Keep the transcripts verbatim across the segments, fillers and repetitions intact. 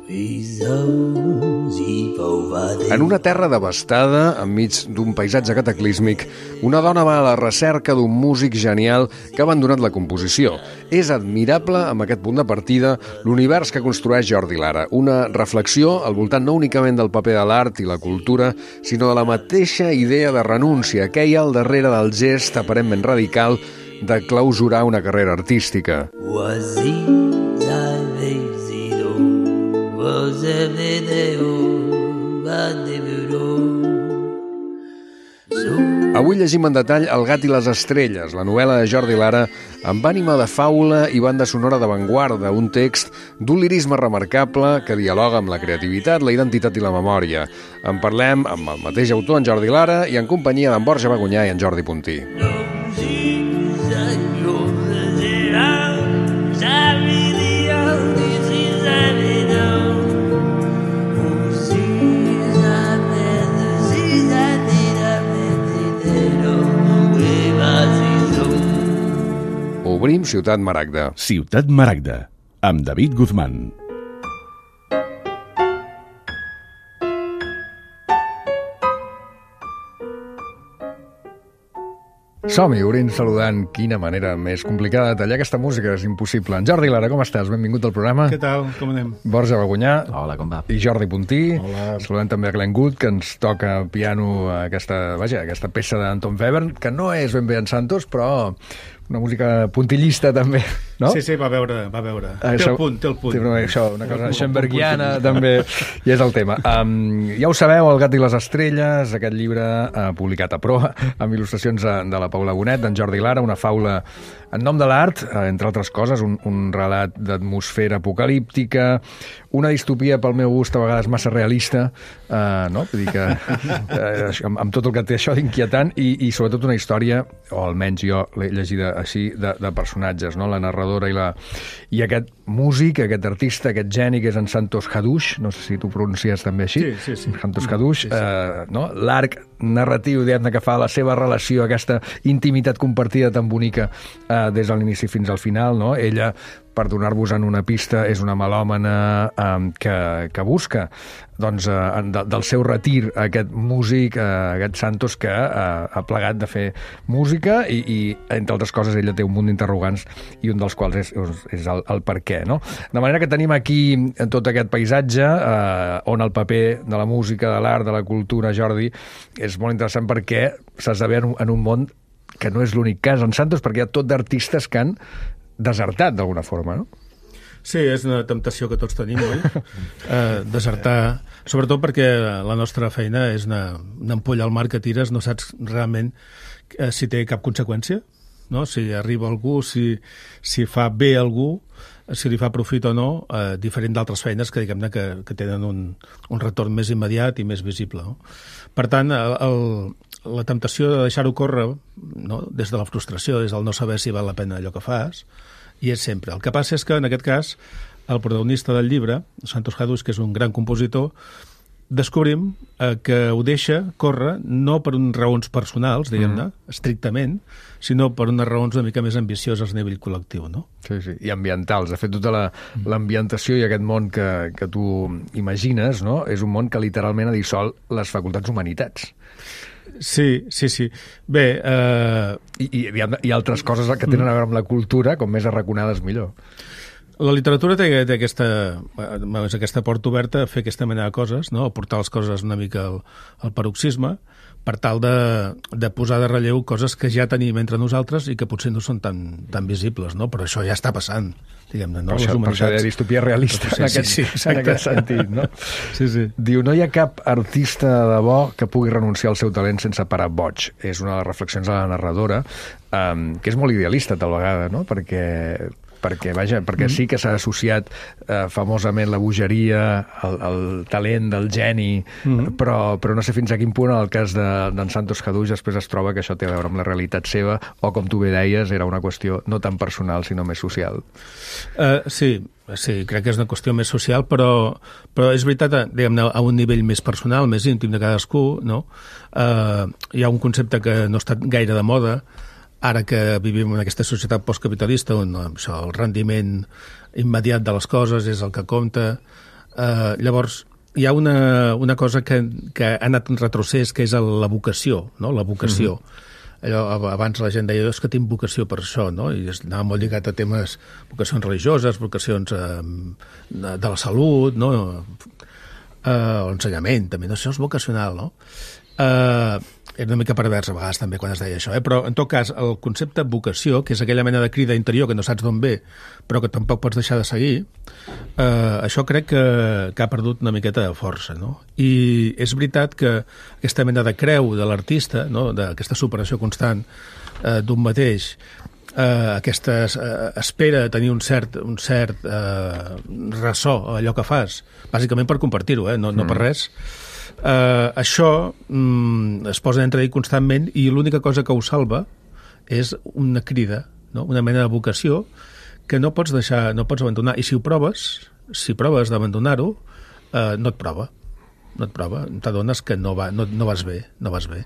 En una terra devastada, enmig d'un paisatge cataclísmic, una dona va a la recerca d'un músic genial que ha abandonat la composició. És admirable, amb aquest punt de partida, l'univers que construeix Jordi Lara. Una reflexió al voltant no únicament del paper de l'art i la cultura, sinó de la mateixa idea de renúncia que hi ha al darrere del gest aparentment radical de clausurar una carrera artística. Avui llegim en detall El gat i les estrelles, la novel·la de Jordi Lara, amb ànima de faula i banda sonora d'avantguarda, un text d'un lirisme remarcable que dialoga amb la creativitat, la identitat i la memòria. En parlem amb el mateix autor, en Jordi Lara, i en companyia d'en Borja Bagunyà i en Jordi Puntí. Obrim Ciutat Maragda. Ciutat Maragda, amb David Guzmán. Som-hi, obrint saludant. Quina manera més complicada de tallar aquesta música, és impossible. En Jordi Lara, com estàs? Benvingut al programa. Què tal? Com anem? Borja Bagunyà. Hola, com va? I Jordi Puntí. Hola. Saludant també a Glenn Good, que ens toca piano aquesta, vaja, aquesta peça d'Anton Webern, que no és ben bé en Santos, però una música puntillista també, no? Sí, sí, va veure, va veure. Ah, té això, el punt, té el punt. Té una, això, una cosa schönbergiana també, i és el tema. Um, ja ho sabeu, El gat i les estrelles, aquest llibre uh, publicat a Proa, amb il·lustracions de, de la Paula Bonet, d'en Jordi Lara, una faula en nom de l'art, uh, entre altres coses, un, un relat d'atmosfera apocalíptica, una distopia pel meu gust a vegades massa realista, uh, no? Vull dir que uh, amb, amb tot el que té això d'inquietant, i, i sobretot una història, o almenys jo l'he llegida així, de, de personatges, no? La narradora i, la, i aquest músic, aquest artista, aquest geni que és en Santos Hadush, no sé si tu pronuncies també així, sí, sí, sí. Santos Hadush, sí, sí. Eh, no? L'arc narratiu, diguem-ne, que fa la seva relació, aquesta intimitat compartida tan bonica eh, des de l'inici fins al final, no? Ella, per donar-vos en una pista, és una melòmana eh, que, que busca doncs, eh, de, del seu retir aquest músic, eh, aquest Santos, que eh, ha plegat de fer música i, i, entre altres coses, ella té un munt d'interrogants i un dels quals és, és el, el per què, no? De manera que tenim aquí tot aquest paisatge eh, on el paper de la música, de l'art, de la cultura, Jordi, és molt interessant perquè s'esdevé en, en un món que no és l'únic cas en Santos, perquè hi ha tot d'artistes que han desertat d'alguna forma, no? Sí, és una temptació que tots tenim, oi? eh, desertar, sobretot perquè la nostra feina és una, una ampolla al mar que tires, no saps realment eh, si té cap conseqüència, no? Si arriba algú, si, si fa bé a algú, si li fa profit o no, eh, diferent d'altres feines que, diguem-ne, que, que tenen un, un retorn més immediat i més visible, no? Per tant, el, el, la temptació de deixar-ho córrer, no? Des de la frustració, des del no saber si val la pena allò que fas, i és sempre. El que passa és que, en aquest cas, el protagonista del llibre, Santos Hadush, que és un gran compositor, descobrim eh, que ho deixa córrer no per unes raons personals, diguem-ne, mm. estrictament, sinó per unes raons una mica més ambicioses a nivell col·lectiu, no? Sí, sí, i ambientals. De fet, tota la, mm. l'ambientació i aquest món que, que tu imagines, no?, és un món que literalment ha dissolt les facultats humanitats. Sí, sí, sí. Bé... Eh... I, i hi, ha, hi ha altres coses que tenen a veure amb la cultura, com més arraconades millor. La literatura té, té aquesta, aquesta porta oberta a fer aquesta mena de coses, no? A portar les coses una mica al, al paroxisme, per tal de, de posar de relleu coses que ja tenim entre nosaltres i que potser no són tan, tan visibles, no? Però això ja està passant, diguem-ne, no? Per això, per això hi ha distopia realista sí, en, aquest, sí, sí, en aquest sentit, no? Sí, sí. Diu, no hi ha cap artista de debò que pugui renunciar al seu talent sense parar boig. És una de les reflexions de la narradora, um, que és molt idealista tal vegada, no? Perquè... perquè, vaja, perquè mm. sí que s'ha associat eh, famosament la bogeria, el, el talent del geni, mm. però, però no sé fins a quin punt en el cas d'en de, Santos Hadush després es troba que això té a veure amb la realitat seva, o com tu bé deies, era una qüestió no tan personal sinó més social. Uh, sí, sí, crec que és una qüestió més social, però, però és veritat, diguem-ne, a un nivell més personal, més íntim de cadascú, no? Uh, hi ha un concepte que no està gaire de moda, ara que vivim en aquesta societat postcapitalista on això, el rendiment immediat de les coses és el que compta, Uh, llavors, hi ha una, una cosa que, que ha anat en retrocés, que és la vocació, no? La vocació. Mm-hmm. Allò, abans la gent deia, és que tinc vocació per això, no? I anava molt lligat a temes, vocacions religioses, vocacions eh, de, de la salut, no? Eh, l'ensenyament, també, no? Això és vocacional, no? Eh, era una mica pervers a vegades també quan es deia això, eh? Però en tot cas el concepte vocació, que és aquella mena de crida interior que no saps d'on ve però que tampoc pots deixar de seguir, eh, això crec que, que ha perdut una miqueta de força, no? I és veritat que aquesta mena de creu de l'artista, no? D'aquesta superació constant eh, d'un mateix, eh, aquesta eh, espera de tenir un cert, un cert eh, ressò a allò que fas, bàsicament per compartir-ho, eh? no, no per res. Uh, això mm, es posa en entredit constantment i l'única cosa que ho salva és una crida, no? Una mena de vocació que no pots deixar, no pots abandonar, i si ho proves, si proves d'abandonar-ho, uh, no et prova, no et prova, t'adones que no, va, no, no vas bé, no vas bé.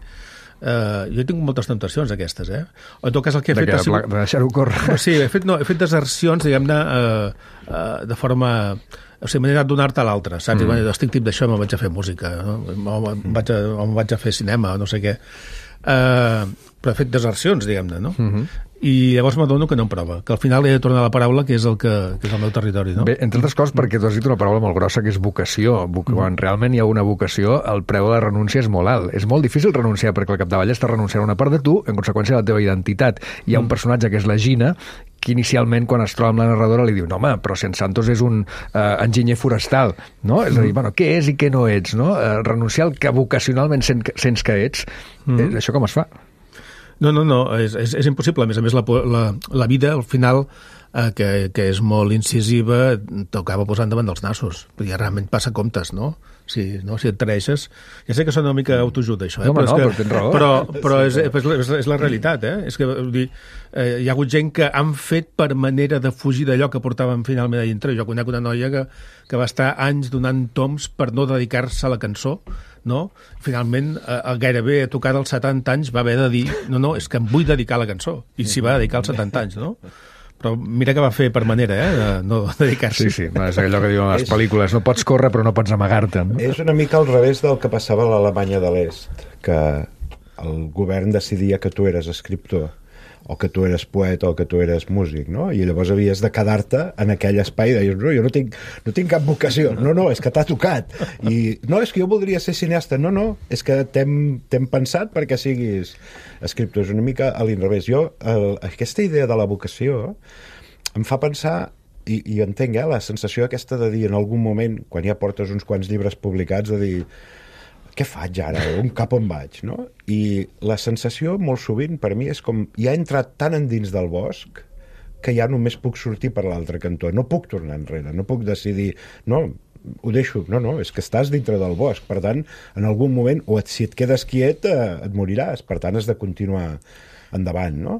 Uh, jo he tingut moltes temptacions aquestes, eh? En tot cas el que he de fet... Que, sigut... De deixar-ho córrer. Sí, he fet, no, he fet desercions, diguem-ne, uh, uh, de forma... O sigui, m'he anat donar-te a l'altre, saps? Mm. I, bueno, estic tip d'això, me'n vaig a fer música, no? o, me'n vaig a, o me'n vaig a fer cinema, no sé què. Uh, però he fet desercions, diguem-ne, no? Mm-hmm. I llavors m'adono que no em prova, que al final he de tornar a la paraula, que és el, que, que és el meu territori, no? Bé, entre altres coses, perquè tu has dit una paraula molt grossa, que és vocació. Voc mm. Quan realment hi ha una vocació, el preu de la renúncia és molt alt. És molt difícil renunciar, perquè al capdavall estàs renunciant a una part de tu, en conseqüència de la teva identitat. Hi ha mm. un personatge que és la Gina, que inicialment, quan es troba amb la narradora, li diu, no, home, però si en Santos és un uh, enginyer forestal, no? És a dir, bueno, què és i què no ets, no? Uh, renunciar al que vocacionalment sents, sents que ets, mm. eh, això com es fa? No, no, no, és, és, és impossible. A més a més, la, la, la vida, al final, eh, que, que és molt incisiva, t'acaba posant davant dels nassos. Perquè realment passa comptes, no? Si, no? si et traeixes... Ja sé que sona una mica autoajuda, això, eh? No, però, no, és que, però tens raó. Però, però és, és, és la realitat, eh? És que, vull dir, eh, hi ha hagut gent que han fet per manera de fugir d'allò que portaven finalment a dintre. Jo conec una noia que, que va estar anys donant toms per no dedicar-se a la cançó, no? Finalment, eh, gairebé a tocar dels setanta anys va haver de dir no, no, és que em vull dedicar a la cançó. I s'hi va dedicar als setanta anys, no? Però mira que va fer per manera, eh, de no dedicar-se. Sí, sí, és allò que diuen les pel·lícules, no pots córrer però no pots amagar-te. No? És una mica al revés del que passava a l'Alemanya de l'Est, que el govern decidia que tu eres escriptor, o que tu eres poeta o que tu eres músic, no? I llavors havies de quedar-te en aquell espai i deies, no, jo no tinc, no tinc cap vocació. No, no, és que t'ha tocat. I no, és que jo voldria ser cineasta. No, no, és que t'hem pensat perquè siguis escriptor. És una mica a l'inrevés. Jo, el, aquesta idea de la vocació em fa pensar, i, i entenc, eh, la sensació aquesta de dir en algun moment, quan ja portes uns quants llibres publicats, de dir, què faig ara? On cap on vaig, no? I la sensació, molt sovint, per mi, és com ja he entrat tan endins del bosc que ja només puc sortir per l'altre cantó. No puc tornar enrere, no puc decidir, no, ho deixo, no, no, és que estàs dintre del bosc, per tant, en algun moment, o et, si et quedes quiet, eh, et moriràs, per tant, has de continuar endavant, no?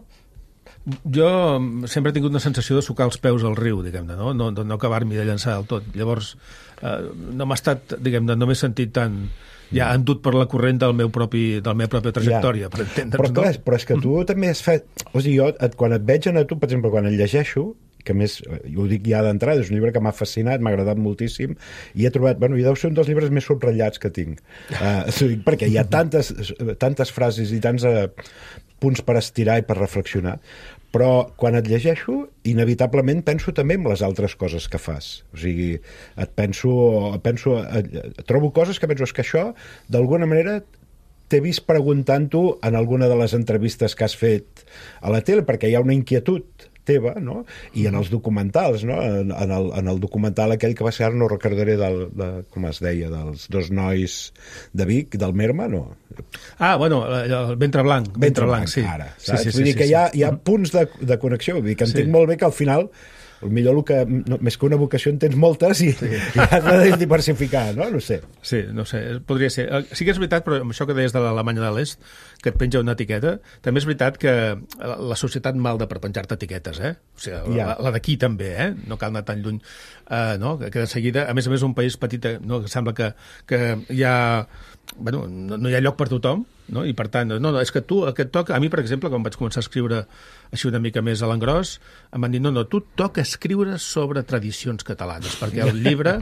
Jo sempre he tingut una sensació de sucar els peus al riu, diguem-ne, no? No, no acabar-m'hi de llançar del tot. Llavors, eh, no m'ha estat, diguem-ne, no m'he sentit tan... ja endut per la corrent del meu propi, de la meva pròpia trajectòria, ja. Per entendre'ns. Però, clar, no? però és que tu mm. també has fet... O sigui, jo, et, quan et veig a tu, per exemple, quan el llegeixo, que més, jo ho dic ja d'entrada, és un llibre que m'ha fascinat, m'ha agradat moltíssim, i he trobat, bueno, i deu ser un dels llibres més subratllats que tinc. Uh, perquè hi ha tantes, tantes frases i tants uh, punts per estirar i per reflexionar, però quan et llegeixo, inevitablement penso també en les altres coses que fas. O sigui, et penso... penso et, trobo coses que penso, és que això, d'alguna manera, t'he vist preguntant-ho en alguna de les entrevistes que has fet a la tele, perquè hi ha una inquietud teva, no? I en els documentals, no? En, en, el, en el documental aquell que va ser, ara no recordaré del, de, com es deia, dels dos nois de Vic, del Merma, no? Ah, bueno, el Ventre Blanc. Ventre, Ventre Blanc, Blanc, sí. ara. Sí, sí, sí, vull dir sí, que sí, hi ha, sí. hi ha punts de, de connexió, vull dir que entenc sí. molt bé que al final potser el que, no, més que una vocació en tens moltes i, sí. i has de diversificar, no? No sé. Sí, no sé, podria ser. Sí que és veritat, però amb això que deies de l'Alemanya de l'Est, que et penja una etiqueta, també és veritat que la societat malda per penjar-te etiquetes, eh? O sigui, ja. la, la d'aquí també, eh? No cal anar tan lluny, uh, no? Que de seguida, a més a més, un país petit, no? Que sembla que, que hi ha... Bueno, no, no hi ha lloc per tothom, no? I per tant, no, no, és que tu, aquest toc, a mi, per exemple, quan vaig començar a escriure així una mica més a l'engròs, em van dir, no, no, tu toca escriure sobre tradicions catalanes, perquè el llibre,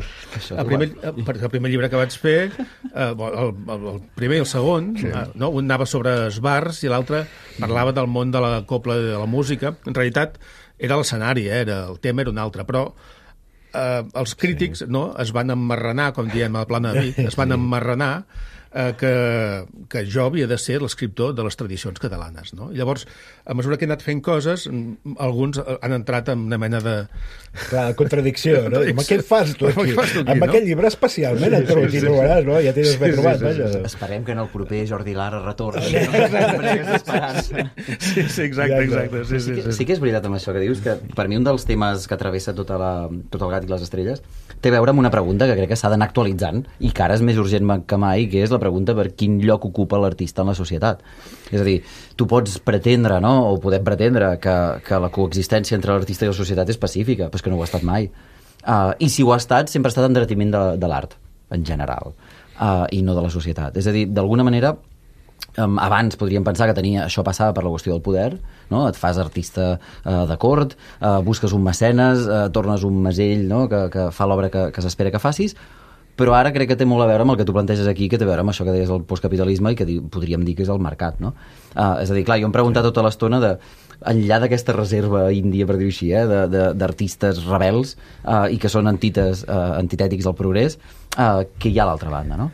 el primer, perquè el primer llibre que vaig fer, eh, el, el, el primer i el segon, sí. eh, no? Un anava sobre esbars i l'altre parlava del món de la copla i de la música. En realitat, era l'escenari, eh? Era, el tema era un altre, però eh, els crítics sí. no, es van emmarranar, com diem a la plana de Vic, es van sí. emmarranar eh, que, que jo havia de ser l'escriptor de les tradicions catalanes. No? I llavors, a mesura que he anat fent coses, alguns han entrat en una mena de... Clar, contradicció, no? Home, què fas tu aquí? Fas tu aquí amb no? aquest llibre especialment, sí, sí, sí, sí, trobaràs, no? Ja t'hi has ben trobat, sí, sí, sí. Esperem que en el proper Jordi Lara retorni. Sí, sí, exacte, exacte. Sí, sí, sí, sí. sí que és veritat amb això que dius, que per mi un dels temes que travessa tota la, tot el gat i les estrelles té a veure amb una pregunta que crec que s'ha d'anar actualitzant i que ara és més urgent que mai, que és la pregunta per quin lloc ocupa l'artista en la societat. És a dir, tu pots pretendre, no?, o podem pretendre que, que la coexistència entre l'artista i la societat és pacífica, però és que no ho ha estat mai. Uh, I si ho ha estat, sempre ha estat en detriment de, de l'art, en general, uh, i no de la societat. És a dir, d'alguna manera, um, abans podríem pensar que tenia, això passava per la qüestió del poder, no? Et fas artista uh, de cort, uh, busques un mecenes, uh, tornes un mesell, no?, que, que fa l'obra que, que s'espera que facis, però ara crec que té molt a veure amb el que tu planteges aquí, que té a veure amb això que deies del postcapitalisme i que di, podríem dir que és el mercat, no? Uh, és a dir, clar, jo em preguntat tota l'estona de, enllà d'aquesta reserva índia, per dir-ho així, eh, d'artistes rebels uh, i que són antites, uh, antitètics al progrés, uh, que hi ha a l'altra banda, no?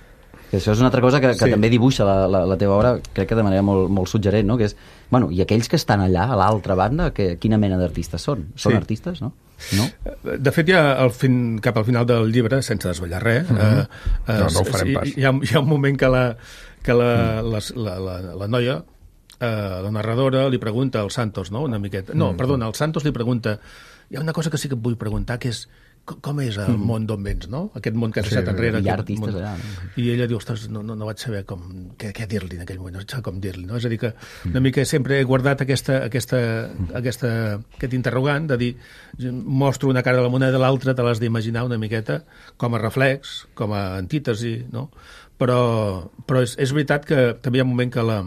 Que això és una altra cosa que, que sí. també dibuixa la, la, la teva obra, crec que de manera molt, molt suggerent, no? Que és, bueno, i aquells que estan allà, a l'altra banda, que, quina mena d'artistes són? Són sí. artistes, no? No? De fet, ja al fin, cap al final del llibre, sense desvetllar res, mm-hmm. eh, eh, no, no ho farem pas. Hi ha, hi ha un moment que la, que la, mm. la, la, la, la noia, eh, la narradora, li pregunta al Santos, no?, una miqueta... No, mm. perdona, el Santos li pregunta... Hi ha una cosa que sí que et vull preguntar, que és com, com és el món d'on vens, no? Aquest món que has deixat sí, enrere. Hi ha artistes allà. No? I ella diu, ostres, no, no, no vaig saber com, què, què dir-li en aquell moment, no vaig saber com dir-li, no? És a dir, que una mica sempre he guardat aquesta, aquesta, aquesta, aquest interrogant de dir, mostro una cara de la moneda de l'altra, te l'has d'imaginar una miqueta com a reflex, com a antítesi, no? Però, però és, és veritat que també hi ha un moment que la,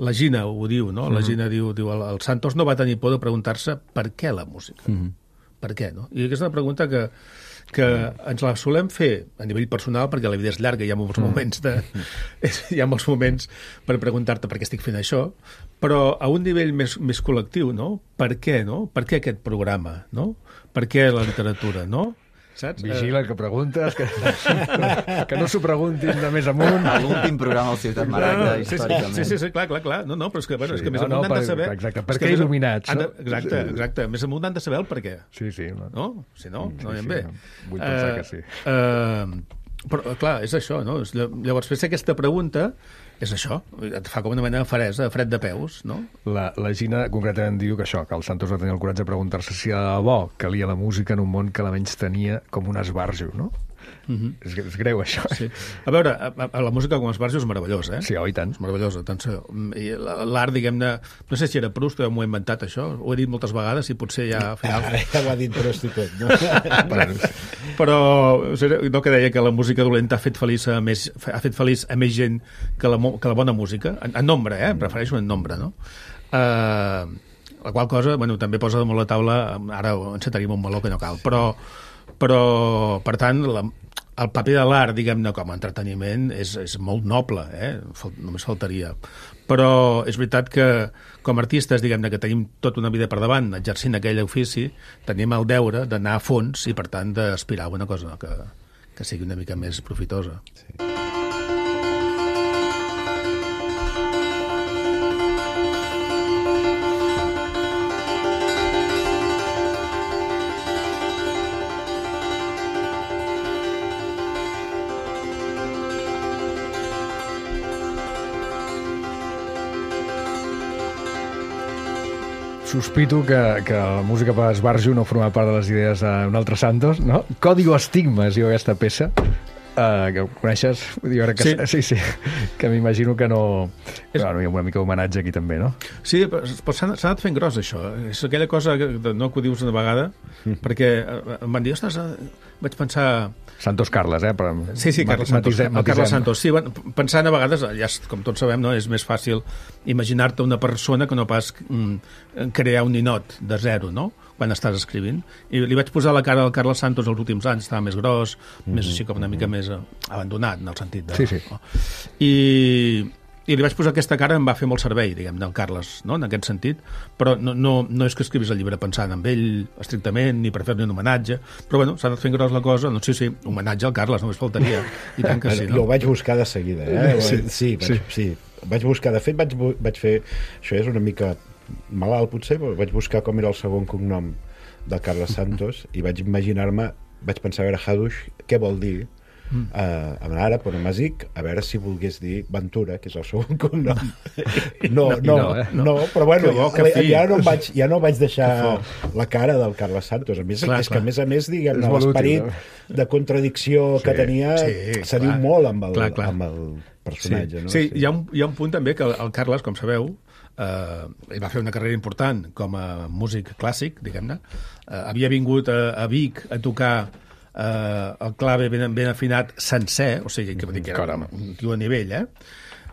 la Gina ho diu, no? La Gina diu, diu el, el Santos no va tenir por de preguntar-se per què la música. Mm-hmm. Per què, no? I aquesta és una pregunta que, que ens la solem fer a nivell personal, perquè la vida és llarga, hi ha molts moments de, hi ha molts moments per preguntar-te per què estic fent això, però a un nivell més, més col·lectiu, no? Per què, no? Per què aquest programa, no? Per què la literatura, no? Saps? Vigila que preguntes, que, que no s'ho preguntin de més amunt. L'últim programa al Ciutat Maragda, no, històricament. Sí, sí, sí, clar, clar, clar. No, no, però és que, bueno, sí, és que més no, amunt no, han de per, saber... Exacte, per què il·luminats, no? De, exacte, exacte. Més amunt han de saber el per què. Sí, sí. No? No? Si no, no anem sí, bé. Vull pensar uh, que sí. Uh, però, clar, és això, no? Llavors, fer aquesta pregunta és això, et fa com una mena de faresa, fred de peus, no? La, la Gina concretament diu que això, que el Santos va tenir el coratge de preguntar-se si de debò calia la música en un món que la menys tenia com un esbarjo, no? Mm-hmm. és, és greu, això. Sí. A veure, a, a, la música com a esbarjo és meravellosa, eh? Sí, oi tant. És meravellosa. Tant, l'art, diguem-ne... No sé si era Proust o m'ho he inventat, això. Ho he dit moltes vegades i potser ja al final... Ara ja ho ha dit Proust i tot, no? Però no, que deia que la música dolenta ha fet feliç a més, ha fet feliç a més gent que la, que la bona música. En, en nombre, eh? Em refereixo en nombre, no? Uh, la qual cosa, bueno, també posa damunt la taula... Ara encetaríem un meló que no cal, però... però per tant, la, el paper de l'art, diguem-ne, com a entreteniment és, és molt noble, eh? Fal, només faltaria. Però és veritat que com a artistes, diguem-ne, que tenim tota una vida per davant exercint aquell ofici, tenim el deure d'anar a fons i, per tant, d'aspirar a una cosa que, que sigui una mica més profitosa. Sí. Sospito que, que la música per esbarjo no forma part de les idees d'un altre Santos, no? Código Estigma es diu aquesta peça, uh, que ho coneixes? Dir, que, sí. sí, sí, que m'imagino que no... És... Bueno, hi ha una mica d'homenatge aquí també, no? Sí, però, però s'ha anat fent gros, això. És aquella cosa que, no, que ho dius una vegada, mm. perquè em van dir, ostres, vaig pensar... Santos Carles, eh? Però sí, sí, Carles Santos. matisem, el Carles Santos. Sí, bueno, pensant a vegades, ja, com tots sabem, no, és més fàcil imaginar-te una persona que no pas mm, crear un ninot de zero, no?, quan estàs escrivint. I li vaig posar la cara al Carles Santos els últims anys, estava més gros, mm-hmm. més així com una mica més abandonat, en el sentit de... Sí, sí. No? I... I li vaig posar aquesta cara, em va fer molt servei, diguem, del Carles, no?, en aquest sentit, però no, no, no és que escrivis el llibre pensant en ell estrictament, ni per fer-li un homenatge, però bueno, s'ha anat fent gros la cosa, doncs sí, sí, homenatge al Carles, només faltaria, i tant que sí, no? Jo ho vaig buscar de seguida, eh? Sí, sí, vaig, sí. sí. Vaig buscar, de fet, vaig, vaig fer, això és una mica malalt potser, però vaig buscar com era el segon cognom de Carles Santos i vaig imaginar-me, vaig pensar, a veure, Hadush, què vol dir? Mm. Uh, a ara, per Masic, a veure si volgués dir Ventura, que és el segon cognom. No, no, no, no, eh? no, però bueno, bo, ja, ja, no vaig, ja no vaig deixar la cara del Carles Santos. A més, clar, és clar. que a més a més, diguem, l'esperit no? de contradicció sí, que tenia sí, se diu molt amb el, clar, clar. amb el personatge. Sí, no? sí, sí. Hi, ha un, hi ha un punt també que el Carles, com sabeu, Uh, ell va fer una carrera important com a músic clàssic, diguem-ne. Uh, havia vingut a, a Vic a tocar uh, el clave ben, ben afinat sencer, o sigui, que, que era un tio a nivell, eh?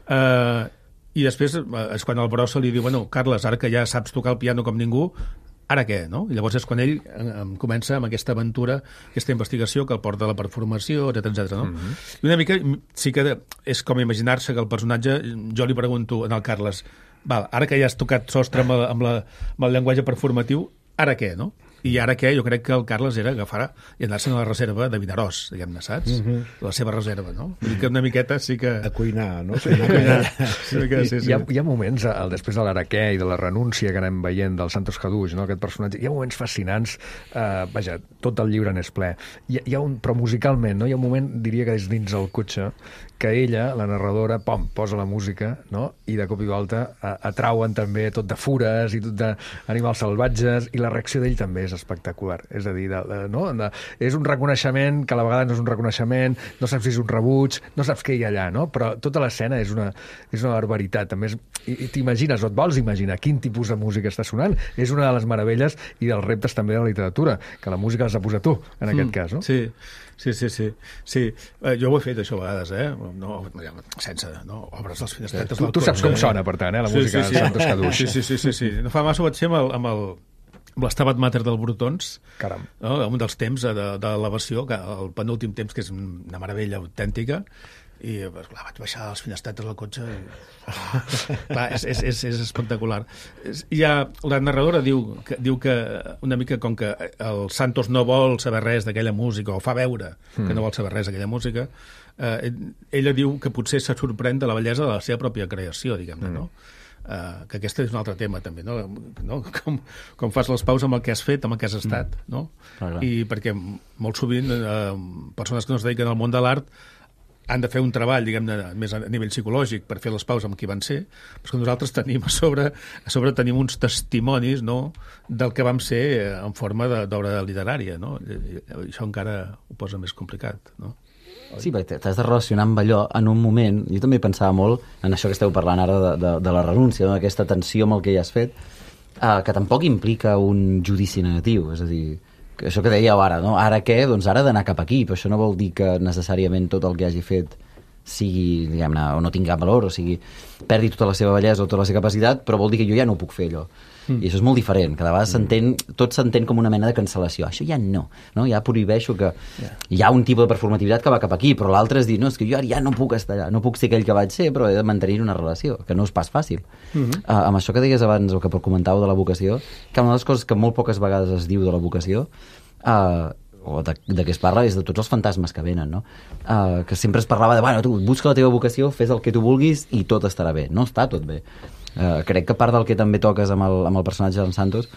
Uh, I després uh, és quan el Brossa li diu, bueno, Carles, ara que ja saps tocar el piano com ningú, ara què, no? I llavors és quan ell um, comença amb aquesta aventura, aquesta investigació que el porta a la performació, etcètera, etcètera, no? Mm-hmm. I una mica sí que és com imaginar-se que el personatge, jo li pregunto al Carles, val, ara que ja has tocat sostre amb, la, amb, la, amb el llenguatge performatiu, ara què, no? I ara què? Jo crec que el Carles era agafar i anar-se'n a la reserva de Vinaròs, diguem-ne, saps? Mm-hmm. La seva reserva, no? Vull dir que una miqueta sí que... A cuinar, no? Sí, a cuinar. Sí, que, sí, sí. Hi, ha, hi ha moments, el, després de l'Araquè i de la renúncia que anem veient del Santos Hadush, no? Aquest personatge, hi ha moments fascinants, eh, vaja, tot el llibre n'és ple. Hi, hi ha un, però musicalment, no? Hi ha un moment, diria que és dins el cotxe, que ella, la narradora, pom, posa la música, no? I de cop i volta a, atrauen també tot de fures i tot d'animals salvatges, i la reacció d'ell també és espectacular. És a dir, de, de, no? de, és un reconeixement que a la vegada no és un reconeixement, no saps si és un rebuig, no saps què hi ha allà, no? Però tota l'escena és una, és una barbaritat. A més, i, i t'imagines, o et vols imaginar quin tipus de música està sonant. És una de les meravelles i dels reptes també de la literatura, que la música l'has de posar tu, en aquest mm, cas, no? Sí. Sí, sí, sí. sí. Eh, jo ho he fet, això, a vegades, eh? No, sense, no? Obres les finestretes tu, del tu saps cotxe, com sona, per tant, eh? La sí, música sí, sí. de Santos Hadush. Sí, sí, sí, sí, sí. No fa massa ho vaig fer amb el, amb el amb l'Stabat Mater del Brutons, Caram. No? Un dels temps de, de l'elevació, el penúltim temps, que és una meravella autèntica, i clar, vaig baixar les finestretes del cotxe i... clar, és, és, és, és espectacular. I ha, la narradora diu que, diu que una mica com que el Santos no vol saber res d'aquella música, o fa veure mm. que no vol saber res d'aquella música, eh, ella diu que potser se sorprèn de la bellesa de la seva pròpia creació, diguem-ne, mm. no? Uh, que aquest és un altre tema també, no? no? Com, com fas les paus amb el que has fet, amb el que has estat, mm. no? Ah, i perquè molt sovint uh, persones que no es dediquen al món de l'art han de fer un treball, diguem-ne, més a nivell psicològic per fer les paus amb qui van ser, però que nosaltres tenim a sobre, a sobre tenim uns testimonis, no?, del que vam ser en forma d'obra literària, no? I això encara ho posa més complicat, no? Sí, perquè t'has de relacionar amb allò en un moment. Jo també pensava molt en això que esteu parlant ara de, de, de la renúncia, no? Aquesta tensió amb el que ja has fet, eh, que tampoc implica un judici negatiu, és a dir, que això que dèieu ara, no? Ara què? Doncs ara d'anar cap aquí, però això no vol dir que necessàriament tot el que hagi fet sigui, diguem-ne, o no tingui cap valor, o sigui, perdi tota la seva bellesa o tota la seva capacitat, però vol dir que jo ja no ho puc fer, allò. Mm. I això és molt diferent, cada vegada s'entén, tot s'entén com una mena de cancel·lació. Això ja no, no? Ja prohibeixo que... Yeah. Hi ha un tipus de performativitat que va cap aquí, però l'altre és dir, no, és que jo ara ja no puc estar allà, no puc ser aquell que vaig ser, però he de mantenir una relació, que no és pas fàcil. Mm-hmm. Uh, amb això que deies abans, o que comentàveu de la vocació, que una de les coses que molt poques vegades es diu de la vocació, uh, o de, de què es parla, és de tots els fantasmes que venen, no? Uh, que sempre es parlava de, bueno, tu busca la teva vocació, fes el que tu vulguis i tot estarà bé. No està tot bé. Uh, crec que part del que també toques amb el, amb el personatge d'en Santos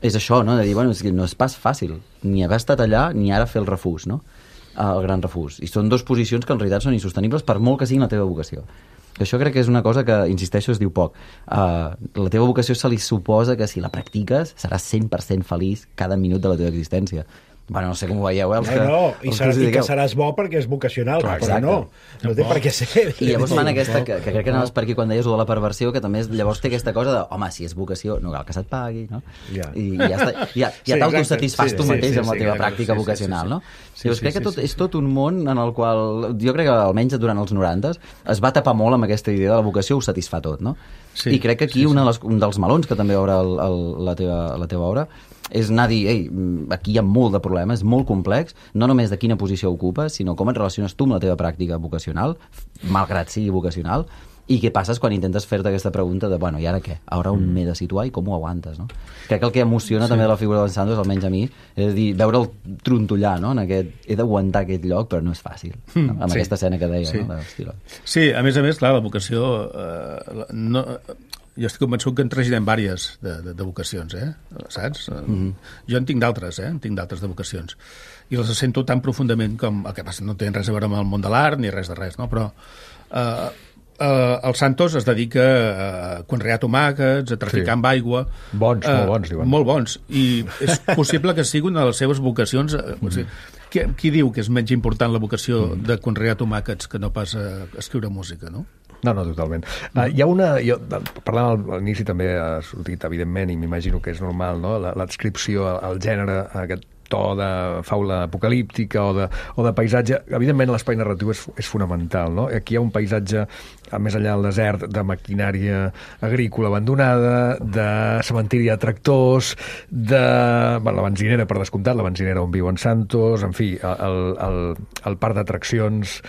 és això, no? De dir, bueno, és que no és pas fàcil ni haver estat allà ni ara fer el refús, no? Uh, el gran refús. I són dues posicions que en realitat són insostenibles per molt que siguin la teva vocació. Això crec que és una cosa que, insisteixo, es diu poc. Uh, la teva vocació se li suposa que si la practiques seràs cent per cent feliç cada minut de la teva existència. Bueno, no sé com ho veieu, eh? Els No, que, no, i, els serà, que us i que dediqueu. seràs bo perquè és vocacional, Clar, però no, no té per què ser. I llavors fan aquesta, que, que crec que anaves per aquí quan deies de la perversió, que també és, llavors té aquesta cosa de, home, si és vocació, no cal que se't pagui, no? Ja. I, i ja, està, ja, ja Sí, t'autosatisfàs exacte. tu Sí, mateix sí, amb la sí, teva sí, pràctica sí, sí, vocacional, sí, sí. no? Sí, Llavors sí, crec que sí, tot, sí. és tot un món en el qual, jo crec que almenys durant els noranta es va tapar molt amb aquesta idea de la vocació, ho satisfà tot, no? Sí, I crec que aquí sí, sí. una de les, un dels melons que també obre el, el, la, teva, la teva obra és anar a dir, ei, aquí hi ha molt de problema, és molt complex, no només de quina posició ocupes, sinó com et relaciones tu amb la teva pràctica vocacional, malgrat sigui vocacional, i què passes quan intentes fer-te aquesta pregunta de, bueno, i ara què? Ara on m'he de situar i com ho aguantes, no? Crec que el que emociona sí. també de la figura d'en Santos, almenys a mi, és dir, veure'l trontollar, no? En aquest, he d'aguantar aquest lloc, però no és fàcil, no? Amb Sí. aquesta escena que deia, Sí. no? L'estil. Sí, a més a més, clar, la vocació... Eh, no, jo estic convençut que en traginem vàries de, de, de vocacions, eh? Saps? Mm -hmm. Jo en tinc d'altres, eh? En tinc d'altres de vocacions. I les sento tan profundament com... El que passa no tenen res a veure amb el món de l'art ni res de res, no? Però... Eh, Uh, el Santos es dedica a conrear tomàquets, a traficar Sí. amb aigua. Bons, uh, molt bons, diuen. Molt bons. I és possible que sigui una de les seves vocacions. Uh, o sigui, qui, qui diu que és menys important la vocació mm. de conrear tomàquets que no pas a escriure música, no? No, no, totalment. Uh, hi ha una... Jo, parlant a l'inici també ha sortit, evidentment, i m'imagino que és normal, no? L'adscripció al gènere, a aquest to de faula apocalíptica o de, o de paisatge. Evidentment, l'espai narratiu és, és fonamental, no? Aquí hi ha un paisatge, a més enllà del desert, de maquinària agrícola abandonada, de cementiri de tractors, de... Bueno, la benzinera, per descomptat, la benzinera on viu en Santos, en fi, el, el, el parc d'atraccions,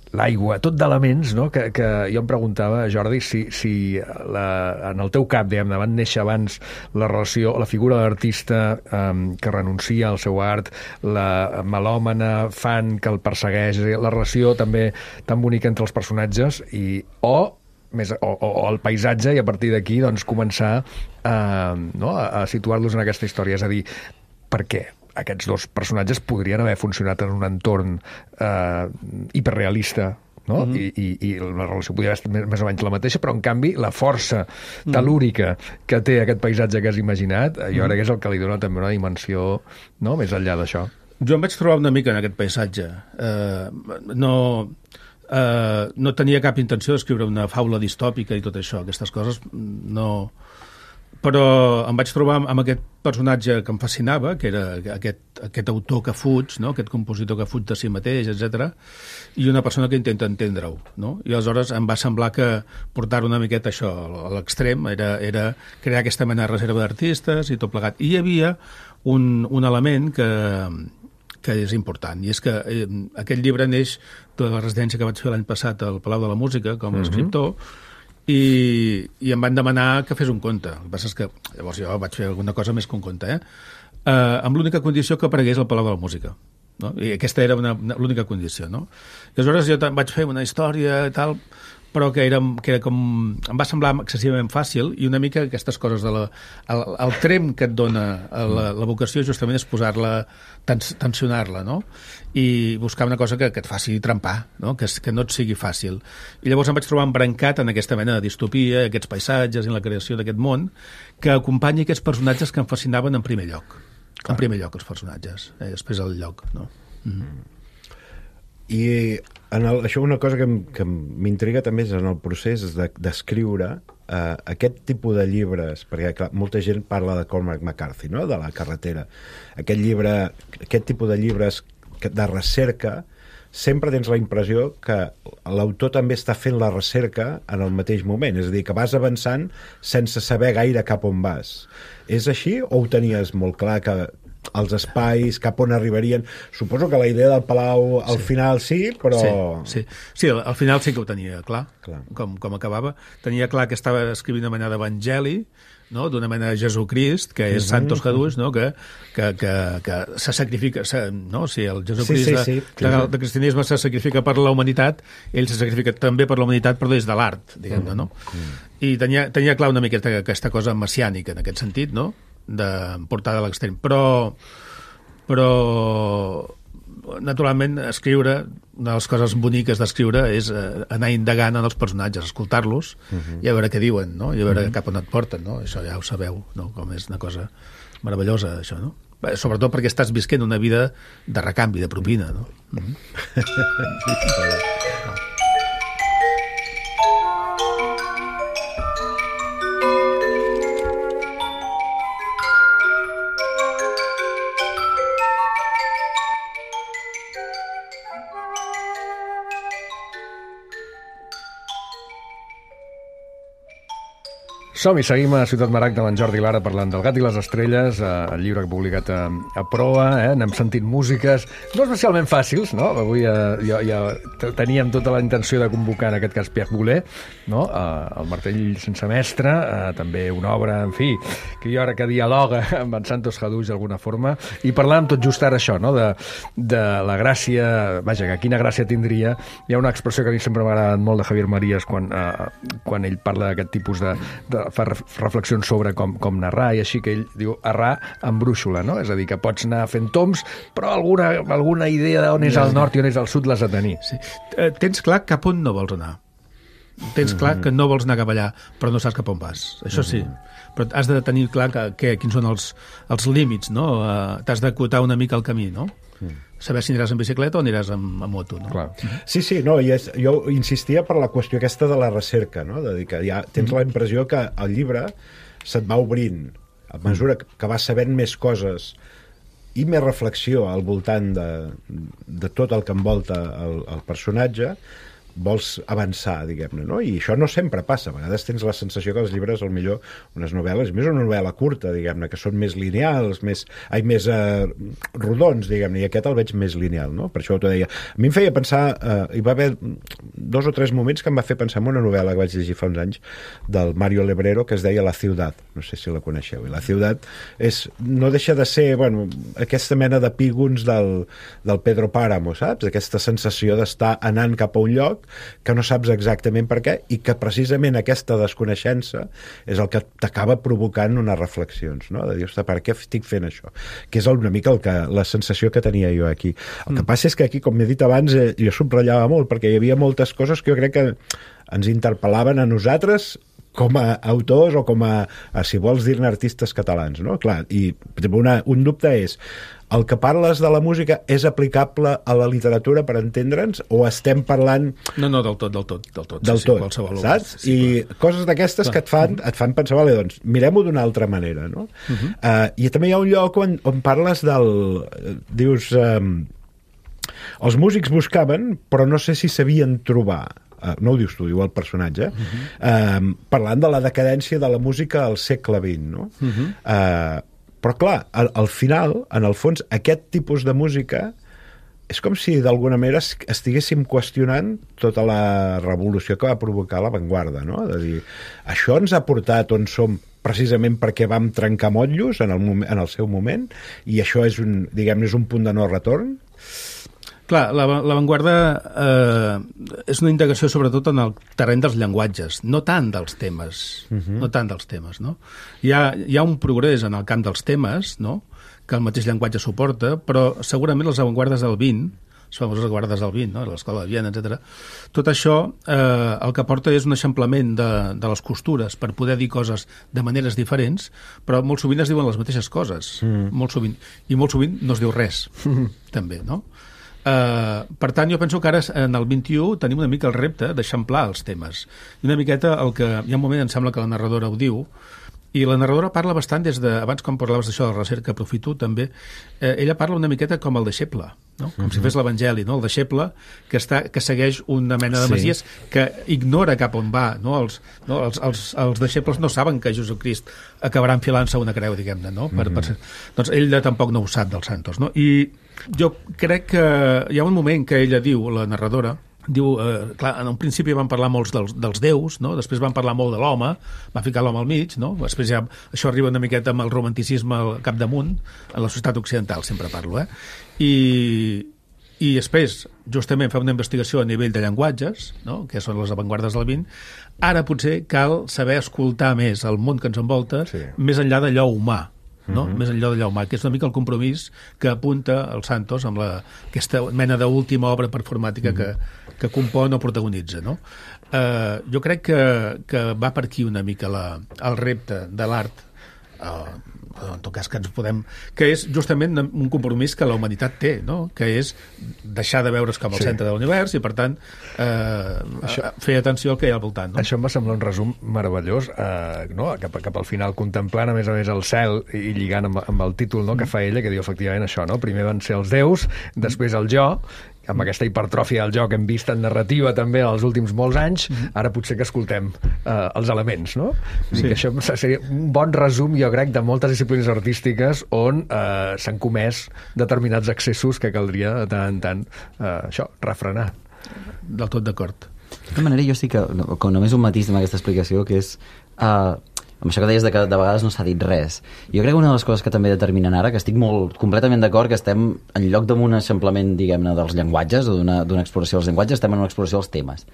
l'aigua, tot d'elements, no? que, que jo em preguntava, Jordi, si, si la, en el teu cap, diguem-ne, van néixer abans la relació, la figura de l'artista um, que renuncia al seu art, la melòmana fan que el persegueix, la relació també tan bonica entre els personatges, i o més, o, o el paisatge, i a partir d'aquí doncs, començar a, no? a, a situar-los en aquesta història, és a dir, per què? Aquests dos personatges podrien haver funcionat en un entorn eh, hiperrealista, no? Mm -hmm. I, i, i la relació podria haver estat més, més o menys la mateixa, però en canvi la força telúrica que té aquest paisatge que has imaginat, jo mm -hmm. crec que és el que li dona també una dimensió, no?, més enllà d'això. Jo em vaig trobar una mica en aquest paisatge. Eh, no, eh, no tenia cap intenció d'escriure una faula distòpica i tot això, aquestes coses no... Però em vaig trobar amb aquest personatge que em fascinava, que era aquest, aquest autor que fuig, no? Aquest compositor que fuig de si mateix, etcètera, i una persona que intenta entendre-ho, no? I aleshores em va semblar que portar una miqueta això a l'extrem era, era crear aquesta mena de reserva d'artistes i tot plegat. I hi havia un, un element que, que és important, i és que eh, aquest llibre neix de la residència que vaig fer l'any passat al Palau de la Música com a escriptor, I, i em van demanar que fes un conte. El que passa és que llavors jo vaig fer alguna cosa més que un conte, eh? Uh, amb l'única condició que aparegués al Palau de la Música. No? I aquesta era una, una, l'única condició, no? I aleshores jo vaig fer una història i tal, però que era, que era com... Em va semblar excessivament fàcil, i una mica aquestes coses de la... El, el trem que et dona la, la vocació justament és posar-la, tens, tensionar-la, no? I buscar una cosa que, que et faci trempar, no? Que, que no et sigui fàcil. I llavors em vaig trobar embrancat en aquesta mena de distopia, aquests paisatges i la creació d'aquest món, que acompanya aquests personatges que em fascinaven en primer lloc. Clar. En primer lloc, els personatges, eh? Després el lloc, no? Mm-hmm. I en el, això una cosa que, que m'intriga també és en el procés d'escriure de, eh, aquest tipus de llibres, perquè clar, molta gent parla de Cormac McCarthy, no? De la carretera. Aquest llibre, aquest tipus de llibres de recerca, sempre tens la impressió que l'autor també està fent la recerca en el mateix moment, és a dir, que vas avançant sense saber gaire cap on vas. És així o ho tenies molt clar que els espais, cap on arribarien? Suposo que la idea del Palau al sí. final sí, però... Sí, sí. sí, al final sí que ho tenia clar, clar. Com, com acabava. Tenia clar que estava escrivint una mena d'evangeli, no? D'una mena de Jesucrist, que és mm-hmm. Santos Jesús, no? que, que, que, que se sacrifica, se, no? Si el Jesucrist sí, sí, sí. De, de, de cristianisme se sacrifica per la humanitat, ell se sacrifica també per la humanitat, però des de l'art, diguem-ne, no? Mm-hmm. I tenia, tenia clar una miqueta aquesta cosa messiànica, en aquest sentit, no? De portada a l'extrem, però però naturalment escriure, una de les coses boniques d'escriure és eh, anar indagant en els personatges, escoltar-los uh-huh. i a veure què diuen, no? I a veure uh-huh. cap on et porten, no? Això ja ho sabeu, no? Com és una cosa meravellosa, això, no? sobretot perquè estàs visquent una vida de recanvi, de propina, no? Mm-hmm. Som-hi, seguim a Ciutat Maragda amb en Jordi Lara parlant del Gat i les Estrelles, eh, el llibre publicat a, a Proa, eh, n'hem sentit músiques no especialment fàcils, no? Avui eh, ja, ja teníem tota la intenció de convocar en aquest cas Pierre Boulez, no? Eh, el martell sense mestre, eh, també una obra, en fi, que jo ara que dialoga amb en Santos Haduix d'alguna forma, i parlàvem tot just ara això, no? De, de la gràcia, vaja, que quina gràcia tindria. Hi ha una expressió que a mi sempre m'ha agradat molt de Javier Marías quan, eh, quan ell parla d'aquest tipus de, de fa reflexions sobre com, com narrar, i així que ell diu errar amb brúixola, no? És a dir, que pots anar fent toms, però alguna, alguna idea d'on és el nord i on és el sud l'has de tenir. Sí. Eh, tens clar cap on no vols anar. Tens clar que no vols anar cap allà, però no saps cap on vas. Això sí. Però has de tenir clar que, que, quins són els, els límits, no? Uh, t'has d'acotar una mica el camí, no? Saber si aniràs en bicicleta o aniràs amb, amb moto, no? Clar. Sí, sí, no, i és, jo insistia per la qüestió aquesta de la recerca, no? De dir que ja tens la impressió que el llibre se't va obrint a mesura que vas sabent més coses i més reflexió al voltant de, de tot el que envolta el, el personatge, vols avançar, diguem-ne, no? I això no sempre passa. A vegades tens la sensació que els llibres, al millor, unes novel·les, més una novel·la curta, diguem-ne, que són més lineals, més, ai, més eh, rodons, diguem-ne, i aquest el veig més lineal, no? Per això t'ho deia. A mi em feia pensar, eh, hi va haver dos o tres moments que em va fer pensar en una novel·la que vaig llegir fa uns anys, del Mario Lebrero, que es deia La Ciutat. No sé si la coneixeu. I La Ciutat és, no deixa de ser, bueno, aquesta mena de pígons del, del Pedro Páramo, saps? Aquesta sensació d'estar anant cap a un lloc que no saps exactament per què, i que precisament aquesta desconeixença és el que t'acaba provocant unes reflexions, no? De dir, ostres, per què estic fent això? Que és una mica el que, la sensació que tenia jo aquí. El que passa és que aquí, com m'he dit abans, eh, jo subratllava molt, perquè hi havia moltes coses que jo crec que ens interpel·laven a nosaltres com a autors o com a, a si vols dir-ne, artistes catalans, no? Clar, i una, un dubte és, el que parles de la música és aplicable a la literatura per entendre'ns, o estem parlant... No, no, del tot, del tot. Del tot, del sí, tot, sí, saps? Sí, I clar. Coses d'aquestes que et fan, et fan pensar, vale, doncs, mirem-ho d'una altra manera, no? Uh -huh. uh, I també hi ha un lloc on, on parles del... Dius... Um, els músics buscaven, però no sé si sabien trobar. Uh, no ho dius tu, diu el personatge, uh -huh. uh, parlant de la decadència de la música al segle vint, no? Uh -huh. uh, però clar, al, al final, en el fons, aquest tipus de música és com si d'alguna manera estiguéssim qüestionant tota la revolució que va provocar l'avantguarda, no? De dir, això ens ha portat on som precisament perquè vam trencar motllos en el, moment, en el seu moment, i això és un, diguem-ne, és un punt de no retorn. Clar, l'avantguarda eh, és una integració sobretot en el terreny dels llenguatges, no tant dels temes, uh-huh. no tant dels temes, no? Hi ha, hi ha un progrés en el camp dels temes, no?, que el mateix llenguatge suporta, però segurament les avantguardes del vint, les famoses avantguardes del vint, no?, l'Escola de Viena, etcètera, tot això eh, el que porta és un eixamplament de, de les costures per poder dir coses de maneres diferents, però molt sovint es diuen les mateixes coses, mm. molt sovint, i molt sovint no es diu res, també, no? Uh, per tant, jo penso que ara en el vint-i-u tenim una mica el repte d'eixamplar els temes. I una miqueta, el que hi ha un moment, em sembla que la narradora ho diu, i la narradora parla bastant des de... Abans, quan parlaves d'això de la recerca, aprofito també, eh, ella parla una miqueta com el deixeble, no? Com uh-huh. si fes l'Evangeli, no? El deixeble que, està, que segueix una mena de sí. messies que ignora cap on va, no? Els, no? Els, els, els deixebles no saben que Jesucrist acabarà enfilant-se una creu, diguem-ne, no? Per, uh-huh. per ser... Doncs ell tampoc no ho sap dels santos, no? I jo crec que hi ha un moment que ella diu, la narradora, diu, eh, clar, en un principi van parlar molts dels, dels déus, no? Després van parlar molt de l'home, va ficar l'home al mig, no? Després ja això arriba una miqueta amb el romanticisme al capdamunt, en la societat occidental sempre parlo, eh? I, i després, justament, fa una investigació a nivell de llenguatges, no?, que són les avantguardes del vint. Ara potser cal saber escoltar més el món que ens envolta, sí. més enllà d'allò humà, no? Uh-huh. Més enllà d'allò humà, que és una mica el compromís que apunta el Santos amb la, aquesta mena d'última obra performàtica uh-huh. que, que compon o protagonitza, no? Uh, jo crec que, que va per aquí una mica la, el repte de l'art uh, però en tot cas que ens podem... Que és justament un compromís que la humanitat té, no? Que és deixar de veure's com el sí. centre de l'univers i, per tant, eh, Això... fer atenció al que hi ha al voltant. No? Això em va semblar un resum meravellós, eh, no? cap, cap al final, contemplant, a més a més, el cel i lligant amb, amb el títol, no? que fa ella, que diu efectivament això, no? Primer van ser els déus, després el jo, amb aquesta hipertròfia del joc que hem vist en narrativa també els últims molts anys, ara potser que escoltem eh, els elements, no? Sí. Que això seria un bon resum, jo crec, de moltes disciplines artístiques on eh, s'han comès determinats excessos que caldria de tant en tant eh, això, refrenar. Del tot d'acord. De tota manera, jo sí que, com només un matís amb aquesta explicació, que és... Eh, amb això que deies de que de vegades no s'ha dit res. Jo crec que una de les coses que també determinen ara, que estic molt completament d'acord, que estem en lloc d'un eixamplament, diguem-ne, dels llenguatges o d'una exploració dels llenguatges, estem en una exploració dels temes.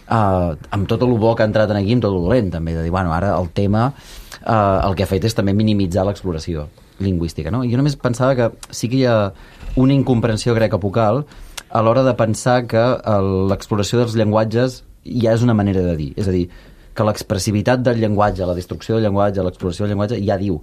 Uh, amb tot el bo que ha entrat aquí, amb tot el dolent, també, de dir, bueno, ara el tema uh, el que ha fet és també minimitzar l'exploració lingüística, no? Jo només pensava que sí que hi ha una incomprensió greca-apocal a l'hora de pensar que uh, l'exploració dels llenguatges ja és una manera de dir, és a dir, que l'expressivitat del llenguatge, la destrucció del llenguatge, l'exploració del llenguatge, ja diu,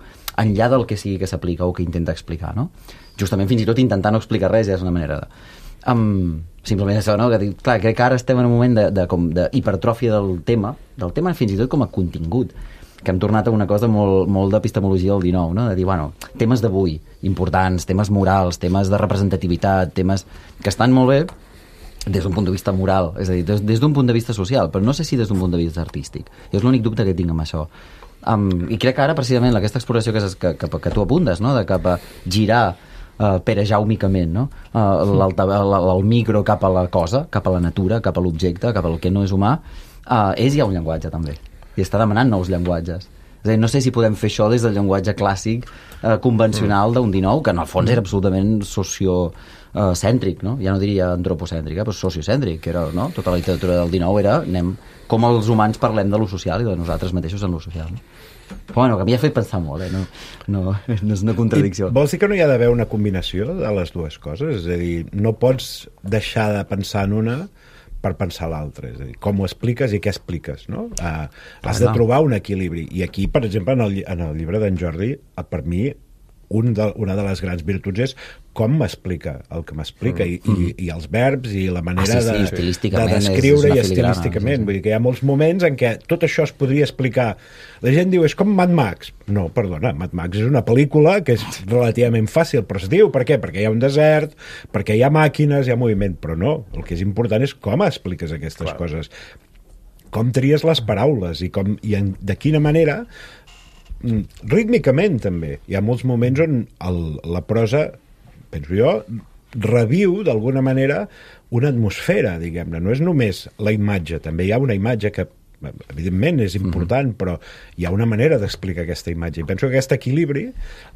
enllà del que sigui que s'aplica o que intenta explicar, no? Justament fins i tot intentar no explicar res ja és una manera de... Um, simplement això, no? Que dic, clar, crec que ara estem en un moment de, de, com, de hipertròfia del tema, del tema fins i tot com a contingut, que hem tornat a una cosa molt, molt d'epistemologia del dinou, no? De dir, bueno, temes d'avui, importants, temes morals, temes de representativitat, temes que estan molt bé, des d'un punt de vista moral, és a dir, des, des d'un punt de vista social, però no sé si des d'un punt de vista artístic. Jo és l'únic dubte que tinc amb això. Um, I crec que ara, precisament, aquesta exploració que, que, que, que tu apuntes, no? De cap a girar uh, perejaumicament, no? Uh, el, el micro cap a la cosa, cap a la natura, cap a l'objecte, cap al que no és humà, uh, és ja un llenguatge, també. I està demanant nous llenguatges. És a dir, no sé si podem fer això des del llenguatge clàssic uh, convencional d'un dinou, que en el fons era absolutament socio... Uh, cèntric, no? Ja no diria antropocèntric, eh, però sociocèntric, que era, no? Tota la literatura del dinou era, anem, com els humans parlem de lo social i de nosaltres mateixos en lo social, no? Però bueno, que m'hi ha fet pensar molt, eh? No, no, no és una contradicció. I vols dir que no hi ha d'haver una combinació de les dues coses? És a dir, no pots deixar de pensar en una per pensar l'altra, és a dir, com ho expliques i què expliques, no? Uh, has de trobar un equilibri. I aquí, per exemple, en el, en el llibre d'en Jordi, per mi, un de, una de les grans virtuts és com m'explica el que m'explica mm. i, i, i els verbs i la manera ah, sí, sí, de, de descriure i estilísticament. Sí, sí. Vull dir que hi ha molts moments en què tot això es podria explicar. La gent diu, és com Mad Max. No, perdona, Mad Max és una pel·lícula que és relativament fàcil, però es diu, per què? Perquè hi ha un desert, perquè hi ha màquines, hi ha moviment, però no. El que és important és com expliques aquestes Clar. coses. Com tries les paraules i, com, i en, de quina manera rítmicament també. Hi ha molts moments on el, la prosa, penso jo, reviu d'alguna manera una atmosfera, diguem-ne. No és només la imatge, també hi ha una imatge que evidentment és important, mm-hmm. però hi ha una manera d'explicar aquesta imatge. I penso que aquest equilibri,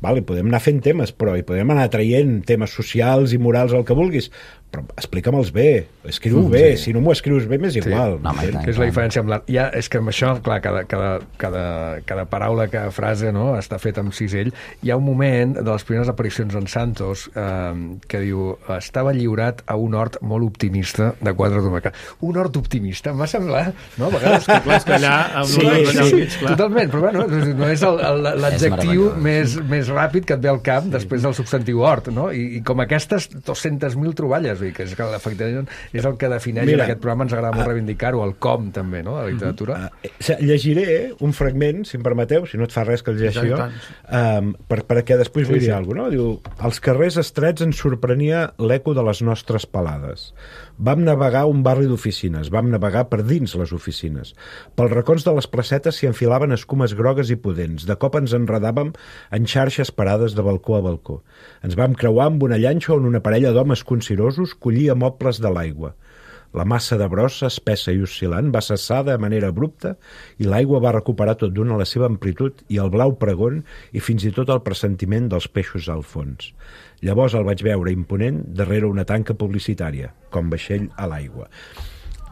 vale, podem anar fent temes, però hi podem anar traient temes socials i morals, el que vulguis, però explica'm-els bé, escriu mm, bé, sí. Si no m'ho escrius bé m'és igual. Sí. No, tant, que és la diferència amb l'art. Ja, és que amb això, clar, cada, cada, cada, cada paraula, cada frase, no?, està feta amb cisell. Hi ha un moment de les primeres aparicions en Santos eh, que diu, estava lliurat a un hort molt optimista de quatre tomàquets. Un hort optimista, em va semblar, no? A vegades que, clar, és que allà amb sí, un sí, sí, sí, totalment, però bueno, no és l'adjectiu més, més ràpid que et ve al cap després del substantiu hort, no? I, i com aquestes dues-centes mil troballes, vull dir, que és, que efectivament és el que defineix Mira, en aquest programa, ens agrada molt reivindicar-ho, el com també, no?, de la literatura. Uh, uh, llegiré un fragment, si em permeteu, si no et fa res que el llegeixi jo, um, per, perquè després sí, vull dir sí. alguna cosa, no? Diu, als carrers estrets ens sorprenia l'eco de les nostres palades. Vam navegar un barri d'oficines, vam navegar per dins les oficines. Pels racons de les placetes s'hi enfilaven escumes grogues i pudents. De cop ens enredàvem en xarxes parades de balcó a balcó. Ens vam creuar amb una llanxa on una parella d'homes concirosos collia mobles de l'aigua. La massa de brossa, espessa i oscil·lant, va cessar de manera abrupta i l'aigua va recuperar tot d'una la seva amplitud i el blau pregon i fins i tot el pressentiment dels peixos al fons. Llavors el vaig veure imponent darrere una tanca publicitària, com vaixell a l'aigua.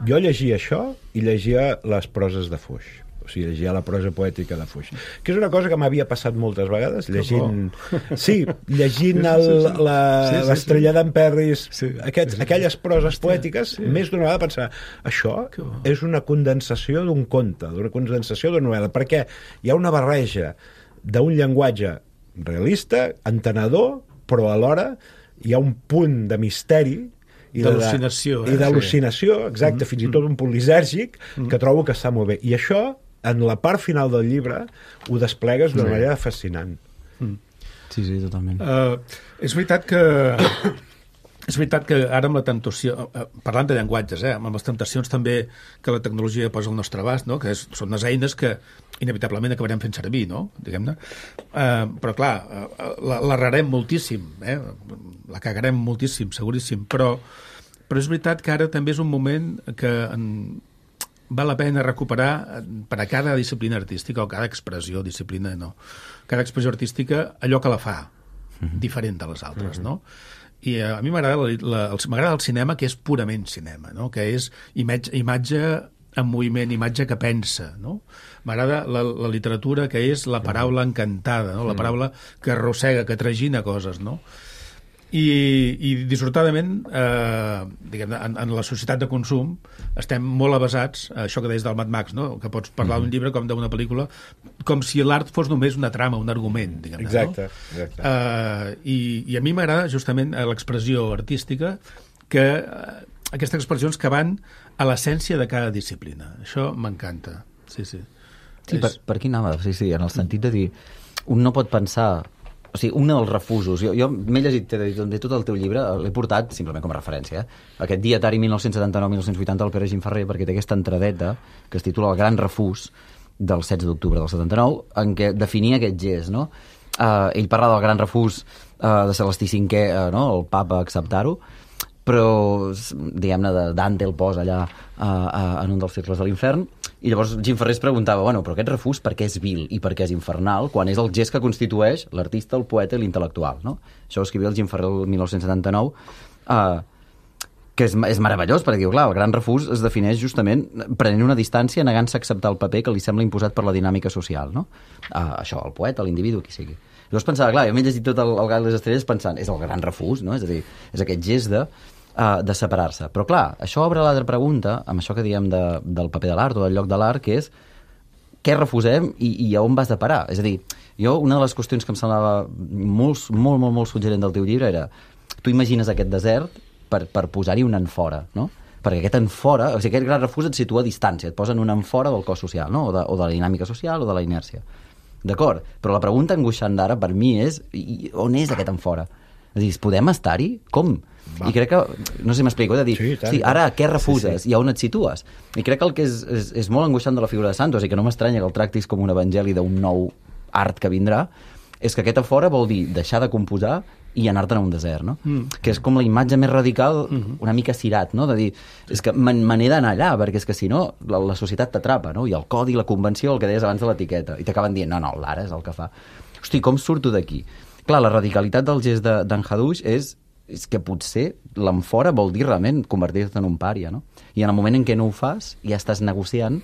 Jo llegia això i llegia les proses de Foix. O sigui, llegia la prosa poètica de Foix. Que és una cosa que m'havia passat moltes vegades, llegint... Sí, llegint el, la, sí, sí, l'estrella sí. d'en Perris, sí, aquests, sí, aquelles proses poètiques, sí. més d'una vegada pensar, això és una condensació d'un conte, d'una condensació d'una novel·la, perquè hi ha una barreja d'un llenguatge realista, entenedor, però alhora hi ha un punt de misteri i d'al·lucinació, de, eh? i d'al·lucinació, exacte, mm, fins i tot un punt lisèrgic, mm. que trobo que està molt bé. I això, en la part final del llibre, ho desplegues d'una sí. manera fascinant. Mm. Sí, sí, totalment. Uh, és veritat que... És veritat que ara amb la temptació, parlant de llenguatges, eh, amb les temptacions també que la tecnologia posa al nostre abast, no? Que és, són unes eines que inevitablement acabarem fent servir, no? Diguem-ne. Uh, però clar, uh, l'errarem moltíssim, eh? La cagarem moltíssim, seguríssim, però, però és veritat que ara també és un moment que en, val la pena recuperar per a cada disciplina artística o cada expressió, disciplina no, cada expressió artística allò que la fa mm-hmm. diferent de les altres, mm-hmm. no? I a mi m'agrada m'agrada el cinema que és purament cinema, no? Que és imatge, imatge en moviment, imatge que pensa, no? M'agrada la, la literatura que és la paraula encantada, no? La paraula que arrossega, que tragina coses, no? I, i dissortadament, eh, diguem, en, en la societat de consum estem molt avasats, això que deies del Mad Max, no? Que pots parlar d'un llibre com d'una pel·lícula, com si l'art fos només una trama, un argument, diguem-ne. Exacte, no? exacte. Eh, i, I a mi m'agrada justament l'expressió artística, que eh, aquestes expressions que van a l'essència de cada disciplina. Això m'encanta, sí, sí. Sí, és... per, per aquí anava, sí, sí, en el sentit de dir, un no pot pensar... O sigui, un dels refusos... Jo, jo m'he llegit de tot el teu llibre, l'he portat simplement com a referència. Eh? Aquest dietari mil nou-cents setanta-nou mil nou-cents vuitanta del Pere Gimferrer, perquè té aquesta entradeta que es titula El gran refús del setze d'octubre del setanta-nou, en què definia aquest gest, no? Uh, ell parla del gran refús uh, de Celestí cinquè, uh, no? El papa acceptar-ho, però, diguem-ne, Dante el posa allà uh, uh, en un dels cercles de l'infern, i llavors Gimferrer es preguntava, bueno, però aquest refús per què és vil i per què és infernal, quan és el gest que constitueix l'artista, el poeta i l'intel·lectual, no? Això ho escrivia el Gimferrer el mil nou-cents setanta-nou, uh, que és, és meravellós, perquè diu, clar, el gran refús es defineix justament prenent una distància, negant-se a acceptar el paper que li sembla imposat per la dinàmica social, no? Uh, això, el poeta, l'individu, qui sigui. Llavors pensava, clar, jo m'he llegit tot el, el Gat i les Estrelles pensant, és el gran refús, no? És a dir, és aquest gest de... Uh, de separar-se. Però clar, això obre l'altra pregunta, amb això que diem de, del paper de l'art o del lloc de l'art, que és què refusem i, i a on vas de parar? És a dir, jo, una de les qüestions que em semblava molt, molt, molt, molt suggerent del teu llibre era, tu imagines aquest desert per, per posar-hi un enfora, no? Perquè aquest enfora, o sigui, aquest gran refús et situa a distància, et posen un enfora del cos social, no? O de, o de la dinàmica social o de la inèrcia. D'acord, però la pregunta angoixant d'ara per mi és, i, on és aquest enfora? És a dir, podem estar-hi? Com? Va. I crec que, no sé si m'explico, de dir, sí, sí, ara què refuses sí, sí. i a on et situes? I crec que el que és, és, és molt angoixant de la figura de Santos, i que no m'estranya que el tractis com un evangeli d'un nou art que vindrà, és que aquest a fora vol dir deixar de composar i anar-te'n a un desert, no? Mm. Que és com la imatge més radical, mm-hmm. una mica cirat, no? De dir, és que me n'he d'anar allà, perquè és que si no, la, la societat t'atrapa, no? I el codi, la convenció, el que deies abans de l'etiqueta, i t'acaben dient, no, no, l'ara és el que fa. Hosti, com surto d'aquí? Clar, la radicalitat del gest d'en Haddouch és és que potser l'enfora vol dir realment convertir-te en un pària, no? I en el moment en què no ho fas, ja estàs negociant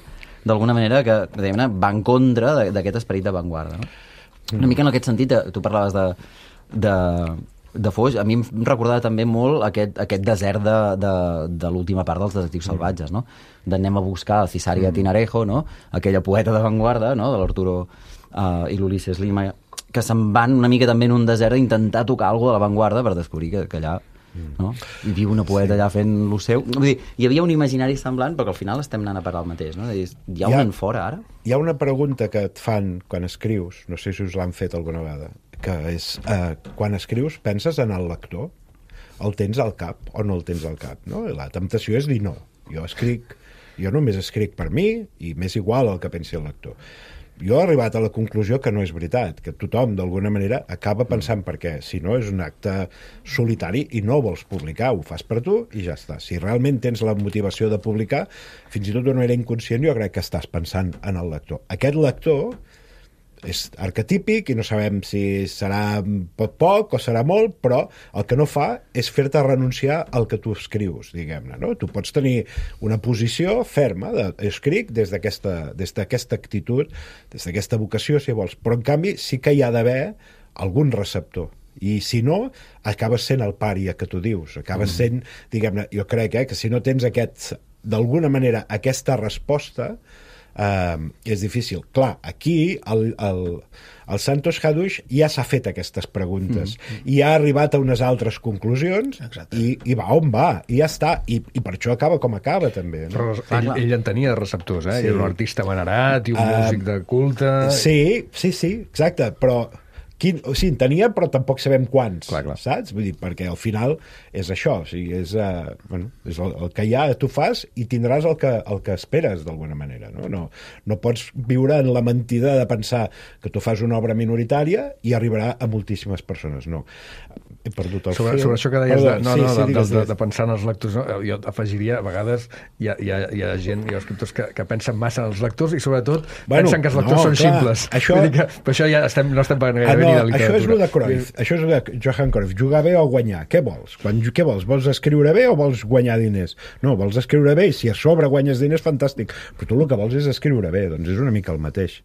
d'alguna manera que va en contra d'aquest esperit d'avantguarda, no? Mm. Una mica en aquest sentit, tu parlaves de, de, de Foix, a mi em recordava també molt aquest, aquest desert de, de, de l'última part dels Detectius Salvatges, no? D'anem a buscar a Cisaria mm. Tinarejo, no? Aquella poeta d'avantguarda, no? De l'Arturo uh, i l'Ulisses Lima, que se'n van una mica també en un desert a intentar tocar alguna de l'avantguarda per descobrir que, que allà no? Hi viu una poeta allà fent lo seu. Vull dir, hi havia un imaginari semblant, però que al final estem anant a parar el mateix, no? Dir, hi ha, hi ha un enfora ara? Hi ha una pregunta que et fan quan escrius, no sé si us l'han fet alguna vegada, que és, eh, quan escrius penses en el lector? El tens al cap o no el tens al cap? No? La temptació és dir no. Jo escric, jo només escric per mi i m'és igual el que pensi el lector. Jo he arribat a la conclusió que no és veritat, que tothom, d'alguna manera, acaba pensant per què. Si no, és un acte solitari i no vols publicar, ho fas per tu i ja està. Si realment tens la motivació de publicar, fins i tot d'una manera inconscient, jo crec que estàs pensant en el lector. Aquest lector és arquetípic i no sabem si serà poc poc o serà molt, però el que no fa és fer-te renunciar al que tu escrius, diguem-ne, no? Tu pots tenir una posició ferma de escric des d'aquesta des d'aquesta actitud, des d'aquesta vocació, si vols, però en canvi sí que hi ha d'haver algun receptor. I si no, acabes sent el pària que tu dius, acabes sent, diguem-ne, jo crec eh, que si no tens aquest, d'alguna manera, aquesta resposta, Uh, és difícil. Clar, aquí el, el, el Santos Hadush ja s'ha fet aquestes preguntes mm. i ha arribat a unes altres conclusions i, i va on va, i ja està, i, i per això acaba com acaba també, no? Però ell, ell en tenia receptors, eh? Sí. Era un artista venerat i un uh, músic de culte. Sí, sí, sí, exacte, però Quin, o sigui, en tenia, però tampoc sabem quants, clar, clar. Saps? Vull dir, perquè al final és això, o sigui, és, uh, bueno, és el, el que hi ha, tu fas i tindràs el que, el que esperes, d'alguna manera, no? No, no pots viure en la mentida de pensar que tu fas una obra minoritària i arribarà a moltíssimes persones, no. He perdut el sobre, fil. Sobre això que deies, Perdó, de, no, sí, no, sí, de, digues, de, de, digues. de pensar en els lectors, no? Jo afegiria, a vegades hi ha, hi ha, hi ha gent, hi ha escriptors que, que pensen massa en els lectors i sobretot bueno, pensen que els lectors no, són clar, simples. Això... Vull dir que, per això ja estem, no estem parlant gaire Ah, no, ni de literatura. això és el de Cruyff, això és el de Johan Cruyff, jugar bé o guanyar, què vols? Quan, què vols? Vols escriure bé o vols guanyar diners? No, vols escriure bé i si a sobre guanyes diners, fantàstic, però tu el que vols és escriure bé, doncs és una mica el mateix.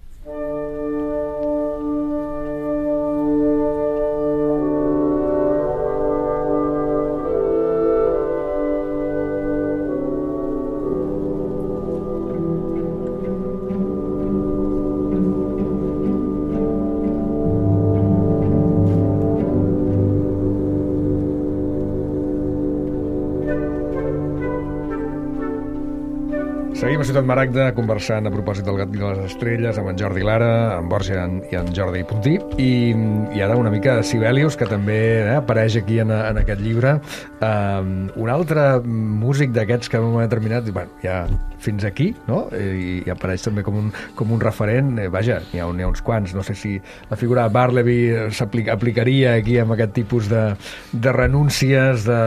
Seguim a Ciutat Maragda conversant a propòsit del Gat i de les Estrelles amb en Jordi Lara, en Borja i en Jordi Puntí i, i ara una mica de Sibelius, que també eh, apareix aquí en, en aquest llibre. Um, un altre músic d'aquests que en un moment determinat, bueno, ja fins aquí, no? I, i apareix també com un, com un referent. Eh, vaja, n'hi ha, ha uns quants. No sé si la figura de Bartleby s'aplicaria aquí amb aquest tipus de, de renúncies de,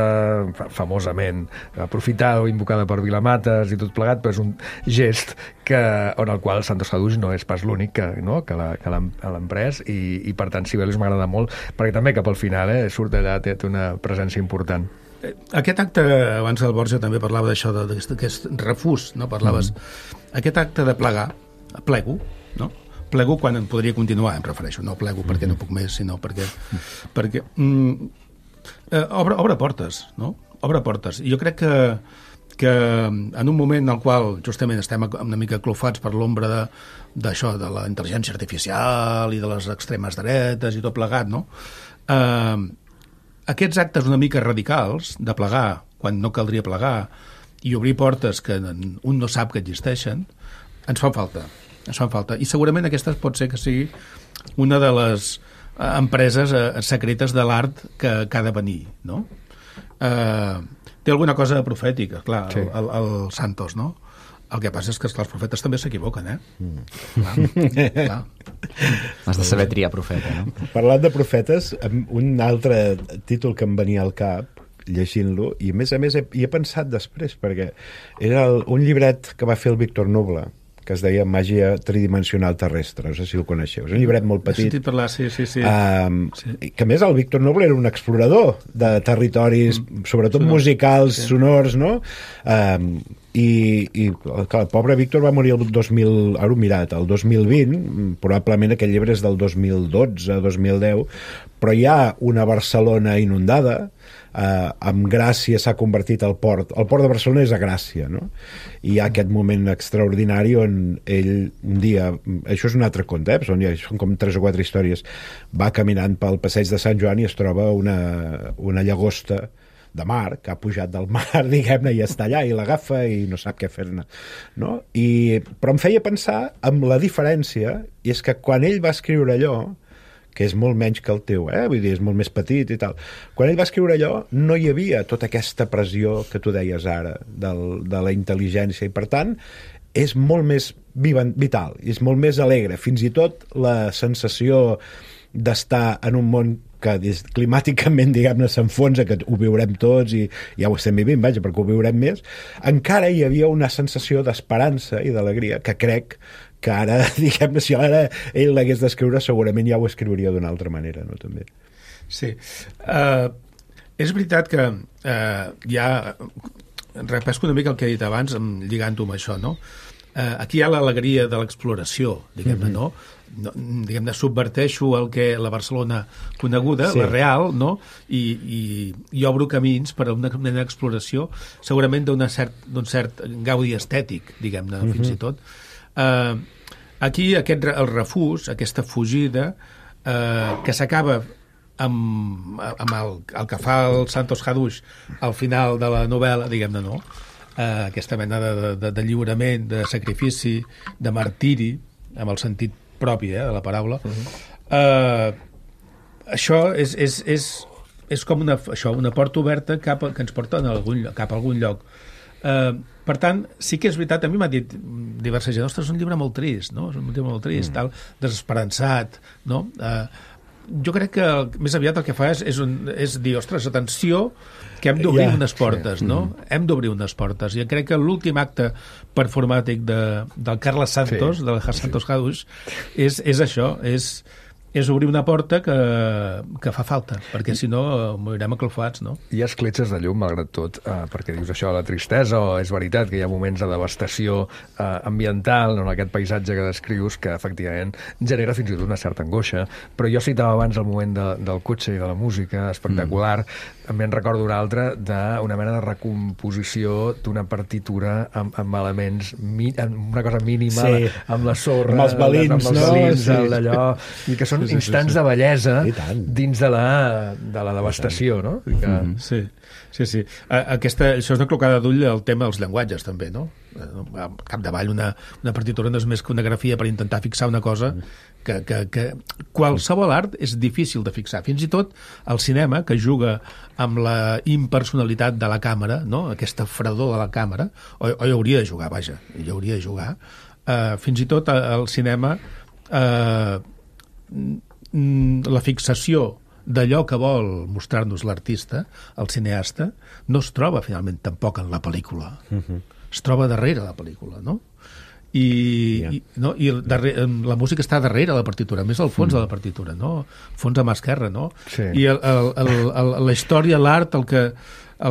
famosament aprofitada o invocada per Vilamates i tot plegat, però és un gest que, on el qual Santos Hadush no és pas l'únic que, no? que l'ha emprès i, i per tant Sibelius m'agrada molt perquè també cap al final eh, surt allà, té, té una presència important. Aquest acte, abans el Borja també parlava d'això, d'aquest refús, no? Parlaves, mm. aquest acte de plegar, plego, no? Plego quan en podria continuar, em refereixo, no plego perquè no puc més, sinó perquè, perquè mm, eh, obre, obre portes, no? Obre portes. I jo crec que que en un moment en el qual justament estem una mica clofats per l'ombra d'això, de, de la intel·ligència artificial i de les extremes dretes i tot plegat, no? Eh, aquests actes una mica radicals de plegar quan no caldria plegar i obrir portes que un no sap que existeixen, ens fan falta. Ens fan falta. I segurament aquesta pot ser que sigui una de les empreses secretes de l'art que, que ha de venir, no? Eh, té alguna cosa profètica, clar, sí. el, el, el Santos, no? El que passa és que esclar, els profetes també s'equivoquen, eh? Mm. Clar, clar. Has de saber triar profeta, no? Parlant de profetes, un altre títol que em venia al cap, llegint-lo, i a més a més he, hi he pensat després, perquè era el, un llibret que va fer el Víctor Noble, que es deia Màgia tridimensional terrestre, no sé si el coneixeu. És un llibret molt petit. He sentit parlar, sí, sí, sí. Um, sí. Que a més el Víctor Noble era un explorador de territoris, mm. sobretot Sonor. musicals, sí. sonors, no? Um, i, i clar, el pobre Víctor va morir el dos mil, ara ho he mirat, el dos mil vint, probablement aquest llibre és del dos mil dotze, dos mil deu, però hi ha una Barcelona inundada, Uh, amb Gràcia s'ha convertit al port el port de Barcelona és a Gràcia, no? I hi ha aquest moment extraordinari on ell un dia, això és un altre conte, eh? Són, són com tres o quatre històries, va caminant pel passeig de Sant Joan i es troba una, una llagosta de mar, que ha pujat del mar, diguem-ne, i està allà, i l'agafa i no sap què fer-ne, no? I, però em feia pensar amb la diferència, i és que quan ell va escriure allò, que és molt menys que el teu, eh? Vull dir, és molt més petit i tal. Quan ell va escriure allò, no hi havia tota aquesta pressió que tu deies ara, del, de la intel·ligència, i per tant, és molt més vital, és molt més alegre. Fins i tot la sensació d'estar en un món que climàticament, diguem-ne, s'enfonsa, que ho viurem tots i ja ho estem vivint, vaja, perquè ho viurem més, encara hi havia una sensació d'esperança i d'alegria que crec que ara, diguem-ne, si ara ell l'hagués d'escriure, segurament ja ho escriuria d'una altra manera, no? També. Sí. Uh, és veritat que uh, ja repesco una mica el que he dit abans, lligant-ho amb això, no? Uh, aquí hi ha l'alegria de l'exploració, diguem-ne, mm-hmm. no? No, diguem-ne, subverteixo el que la Barcelona coneguda, sí. la real, no? I, i, i obro camins per a una mena d'exploració, segurament d'un cert, cert gaudi estètic, diguem-ne, mm-hmm. fins i tot. Eh, aquí aquest, el refús, aquesta fugida, eh, que s'acaba amb, amb el, el que fa el Santos Hadush al final de la novel·la, diguem-ne, no? Eh, aquesta mena de, de, de lliurament, de sacrifici, de martiri, amb el sentit propi eh, de la paraula. Uh-huh. eh, això és, és, és, és com una, això, una porta oberta cap a, que ens porta a algun, cap a algun lloc. Eh, per tant, sí que és veritat, a mi m'ha dit diversa gent, ostres, és un llibre molt trist, no? És un llibre molt trist, mm. tal, desesperançat, no? Eh, jo crec que més aviat el que fa és, és, un, és dir, ostres, atenció, que hem d'obrir yeah, unes portes, sí. no? Mm. Hem d'obrir unes portes. I crec que l'últim acte performàtic de, del Carles Santos, sí. del Santos Hadush, és, és això, és, és obrir una porta que, que fa falta, perquè si no morirem aclofats, no? Hi ha escletxes de llum, malgrat tot, eh, perquè dius això, la tristesa, o és veritat que hi ha moments de devastació eh, ambiental, en aquest paisatge que descrius, que efectivament genera fins i tot una certa angoixa, però jo citava abans el moment de, del cotxe i de la música, espectacular, mm. també en recordo un altre d'una mena de recomposició d'una partitura amb, amb elements, mi, amb una cosa mínima, sí. amb la sorra, amb els balins, amb els no? balins, Sí. allò, i que són sí, sí, instants sí, sí. de bellesa dins de la, de la devastació, no? Que... Mm-hmm. Sí, sí, sí. Aquesta, això és una clocada d'ull al tema dels llenguatges, també, no? Al capdavall, una, una partitura no és més que una grafia per intentar fixar una cosa que, que, que qualsevol art és difícil de fixar. Fins i tot el cinema, que juga amb la impersonalitat de la càmera, no? Aquesta fredor de la càmera, o, o hi hauria de jugar, vaja, hi hauria de jugar. Uh, fins i tot el cinema... Uh, la fixació d'allò que vol mostrar-nos l'artista, el cineasta, no es troba finalment tampoc en la pel·lícula. Uh-huh. Es troba darrere la pel·lícula, no? I, yeah. i, no? I darrere, la música està darrere la partitura, més al fons mm. de la partitura, no? Fons a mà esquerra, no? Sí. I el, el, el, el, la història, l'art, el que,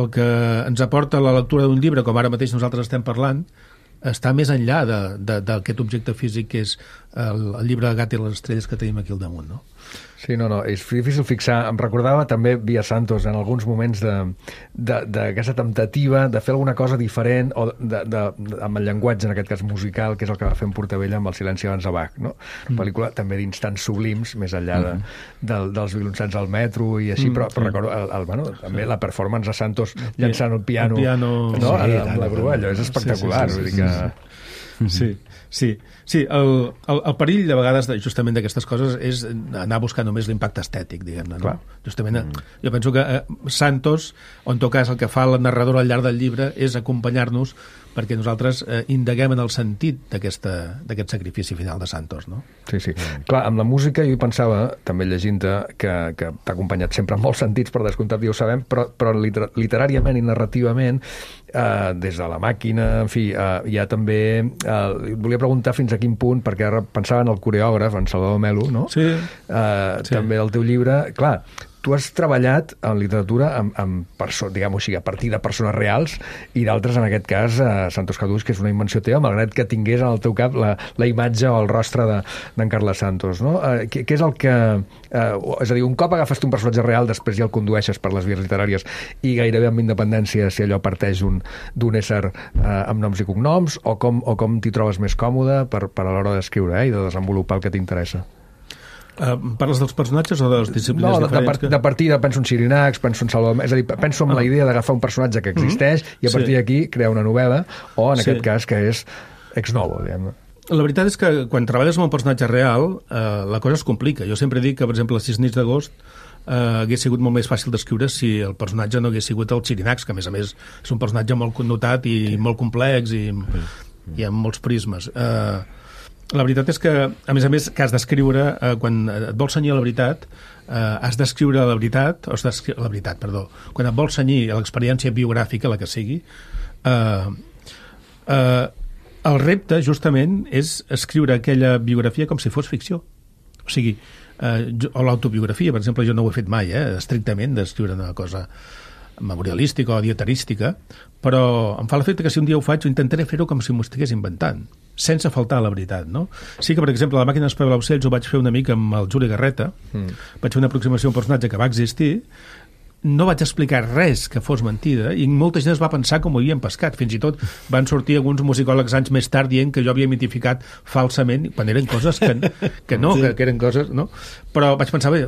el que ens aporta la lectura d'un llibre, com ara mateix nosaltres estem parlant, està més enllà d'aquest objecte físic que és el, el llibre de Gat i les estrelles que tenim aquí al damunt, no? Sí, no, no, és difícil fixar. Em recordava també Via Santos en alguns moments d'aquesta temptativa de fer alguna cosa diferent o de, de, de, amb el llenguatge, en aquest cas musical, que és el que va fer en Portavella amb El silenci abans de Bach, no? Mm. Pel·lícula també d'instants sublims, més enllà de, de, dels violoncels al metro i així, mm, però, però sí. recordo el, el, bueno, també sí. la performance de Santos llançant el piano, el piano... No? Sí, amb la grua, allò és espectacular. Sí, sí, sí, sí, sí, sí. Sí, sí, sí. El, el, el perill de vegades de, justament d'aquestes coses és anar a buscar només l'impacte estètic, diguem-ne, no? Justament, mm. jo penso que eh, Santos, o en tot cas el que fa la narradora al llarg del llibre és acompanyar-nos perquè nosaltres eh, indaguem en el sentit d'aquest sacrifici final de Santos, no? Sí, sí. Mm. Clar, amb la música jo hi pensava, també llegint-te, que, que t'ha acompanyat sempre en molts sentits, per descomptat, ja ho sabem, però, però liter literàriament i narrativament, eh, des de La màquina, en fi, eh, hi ha també... Eh, volia preguntar fins a quin punt, perquè ara pensava en el coreògraf, en Salvador Melo, no? Sí. Eh, sí. També el teu llibre... Clar, tu has treballat en literatura amb, amb perso diguem-ho així, a partir de persones reals i d'altres, en aquest cas, eh, Santos Hadush, que és una invenció teva, malgrat que tingués en el teu cap la, la imatge o el rostre d'en Carles Santos, no? Eh, què, què és el que... Eh, és a dir, un cop agafes un personatge real, després ja el condueixes per les vies literàries i gairebé amb independència si allò parteix d'un ésser eh, amb noms i cognoms, o com, o com t'hi trobes més còmode per, per a l'hora d'escriure eh, i de desenvolupar el que t'interessa? Uh, parles dels personatges o de les disciplines no, diferents? No, de, de partida penso en Sirinacs, penso en Salvador... És a dir, penso en ah. la idea d'agafar un personatge que existeix mm-hmm. i a partir sí. d'aquí crear una novel·la, o en sí. aquest cas que és ex novo, diguem-ne. La veritat és que quan treballes amb un personatge real, eh, la cosa es complica. Jo sempre dic que, per exemple, les sis nits d'agost eh, hagués sigut molt més fàcil d'escriure si el personatge no hagués sigut el Sirinacs, que a més a més és un personatge molt connotat i sí. molt complex i, mm. i amb molts prismes. Eh, La veritat és que, a més a més, que has d'escriure, eh, quan et vols cenyir a la veritat, eh, has d'escriure la veritat, o has la veritat, perdó, quan et vols cenyir a l'experiència biogràfica, la que sigui, eh, eh, el repte, justament, és escriure aquella biografia com si fos ficció. O sigui, eh, jo, o l'autobiografia, per exemple, jo no ho he fet mai, eh, estrictament, d'escriure una cosa memorialística o dieterística, però em fa l'efecte que si un dia ho faig, intentaré fer-ho com si m'ho estigués inventant, sense faltar a la veritat, no? Sí que, per exemple, La màquina d'espavilar ocells ho vaig fer una mica amb el Juli Garreta, mm. vaig fer una aproximació a un personatge que va existir, no vaig explicar res que fos mentida i molta gent es va pensar com ho havien pescat. Fins i tot van sortir alguns musicòlegs anys més tard dient que jo havia mitificat falsament quan eren coses que, que no, sí. que, que eren coses, no? Però vaig pensar, bé,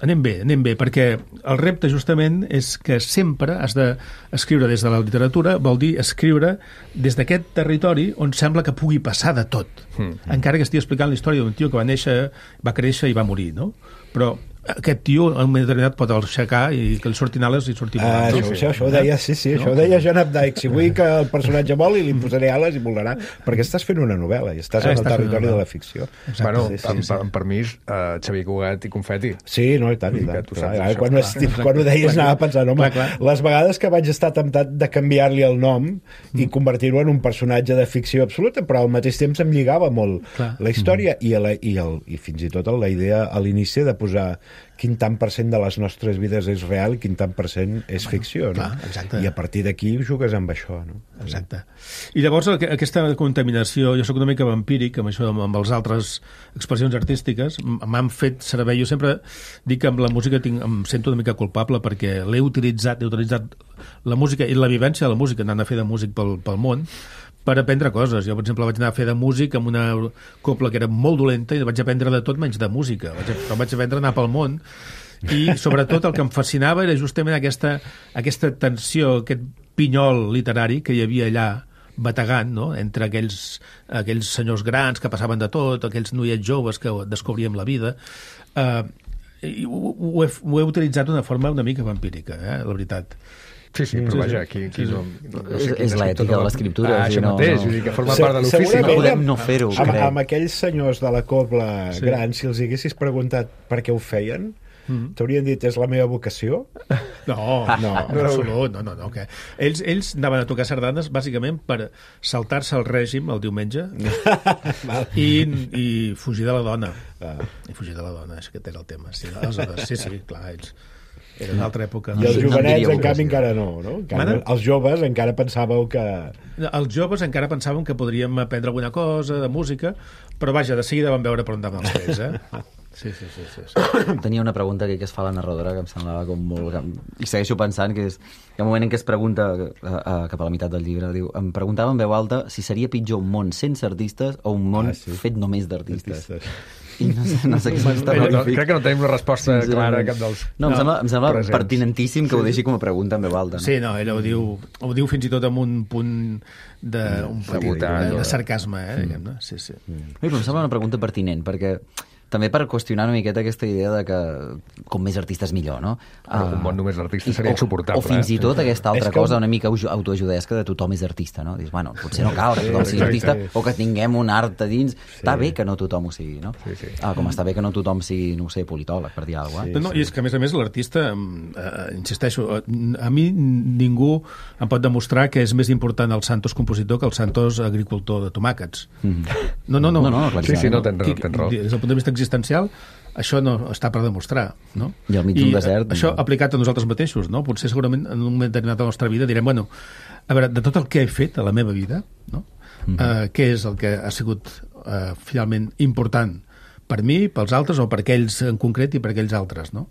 anem bé, anem bé, perquè el repte justament és que sempre has d'escriure des de la literatura, vol dir escriure des d'aquest territori on sembla que pugui passar de tot, mm. encara que estigui explicant la història d'un tio que va néixer, va créixer i va morir, no? Però aquest tio en un moment determinat pot aixecar i que li surtin ales i surti volant. Ah, això, això, això ho deia, sí, sí, no? Això ho deia John Updike. Si vull que el personatge voli, li posaré ales i volarà, perquè estàs fent una novel·la i estàs ah, en el territori de la ficció. Exacte. Bueno, sí, sí, amb, sí. amb permís, uh, Xavier Cugat i Confeti. Sí, no, i tant, i tant. Clar, clar, això, quan, clar, ho, quan ho deies anava pensant, home, clar, clar. les vegades que vaig estar temptat de canviar-li el nom mm. i convertir-ho en un personatge de ficció absoluta, però al mateix temps em lligava molt clar. la història mm. i, la, i, el, i fins i tot la idea a l'inici de posar quin tant per cent de les nostres vides és real i quin tant per cent és ficció, no? Clar, i a partir d'aquí jugues amb això, no? Exacte. I llavors aquesta contaminació, jo sóc una mica vampíric amb això, amb les altres expressions artístiques, m'han fet servei, jo sempre dic que amb la música tinc, em sento una mica culpable perquè l'he utilitzat, he utilitzat la música i la vivència de la música, anant a fer de músic pel, pel món, per aprendre coses. Jo, per exemple, vaig anar a fer de músic amb una copla que era molt dolenta i vaig aprendre de tot menys de música. Vaig, però vaig aprendre a anar pel món i, sobretot, el que em fascinava era justament aquesta, aquesta tensió, aquest pinyol literari que hi havia allà bategant, no?, entre aquells, aquells senyors grans que passaven de tot, aquells noiets joves que descobríem la vida. Uh, i ho, ho, he, ho he utilitzat d'una forma una mica vampírica, eh, la veritat. Sí, sí, però vaja, aquí, aquí no, no sé és, és l'ètica de l'escriptura. Ah, això no, mateix, no. Vull dir que forma part de l'ofici. No podem no fer-ho, amb, amb aquells senyors de la cobla sí. grans, si els haguessis preguntat per què ho feien, mm. t'haurien dit, és la meva vocació? No, no, en absolut, no, no, no. Que ells, ells anaven a tocar sardanes bàsicament per saltar-se el règim el diumenge i, i fugir de la dona. Ah. I fugir de la dona, és que té el tema. Sí, aleshores, sí, sí, clar, ells... Era una altra època. I els jovenets, en canvi, encara no, no? Encara, els joves encara pensàveu que... Els joves encara pensàvem que podríem aprendre alguna cosa de música, però vaja, de seguida vam veure per on anaven els pells, eh? Sí, sí, sí, sí, sí. Tenia una pregunta que, que es fa a la narradora que em semblava com molt... I segueixo pensant que és... Hi ha un moment en què es pregunta, a, a, cap a la meitat del llibre, diu, em preguntava en veu alta si seria pitjor un món sense artistes o un món ah, sí. fet només d'artistes. I no sé, no sé què és no, crec que no tenim una resposta sí, clara a cap dels... No, em sembla, em sembla pertinentíssim que ho deixi com a pregunta en veu alta. No? Sí, no, ella ho diu, ho diu fins i tot amb un punt de, un petit, de, de sarcasme, eh, diguem-ne. Sí, sí. Mm. Però em sembla una pregunta pertinent, perquè també per qüestionar una miqueta aquesta idea de que com més artistes millor, no? Uh, un món només artistes seria o, insuportable. O fins i tot eh? aquesta altra que... cosa una mica autoajudesca de tothom és artista, no? Dius, bueno, potser no cal que tothom sigui artista o que tinguem un art a dins. Sí. Està bé que no tothom ho sigui, no? Sí, sí. Ah, com està bé que no tothom sigui, no sé, politòleg, per dir alguna cosa. Sí, no, sí. I és que, a més a més, l'artista, eh, insisteixo, a mi ningú em pot demostrar que és més important el Santos compositor que el Santos agricultor de tomàquets. Mm-hmm. No, no, no. no, no, no sí, sí, no, tens raó, tens raó. Des del punt de vista existencial, això no està per demostrar, no? I al mig d'un desert... Això no. aplicat a nosaltres mateixos, no? Potser segurament en un moment determinat de la nostra vida direm, bueno, a veure, de tot el que he fet a la meva vida, no? Mm-hmm. Uh, què és el que ha sigut uh, finalment important per mi, pels altres, o per aquells en concret i per aquells altres, no?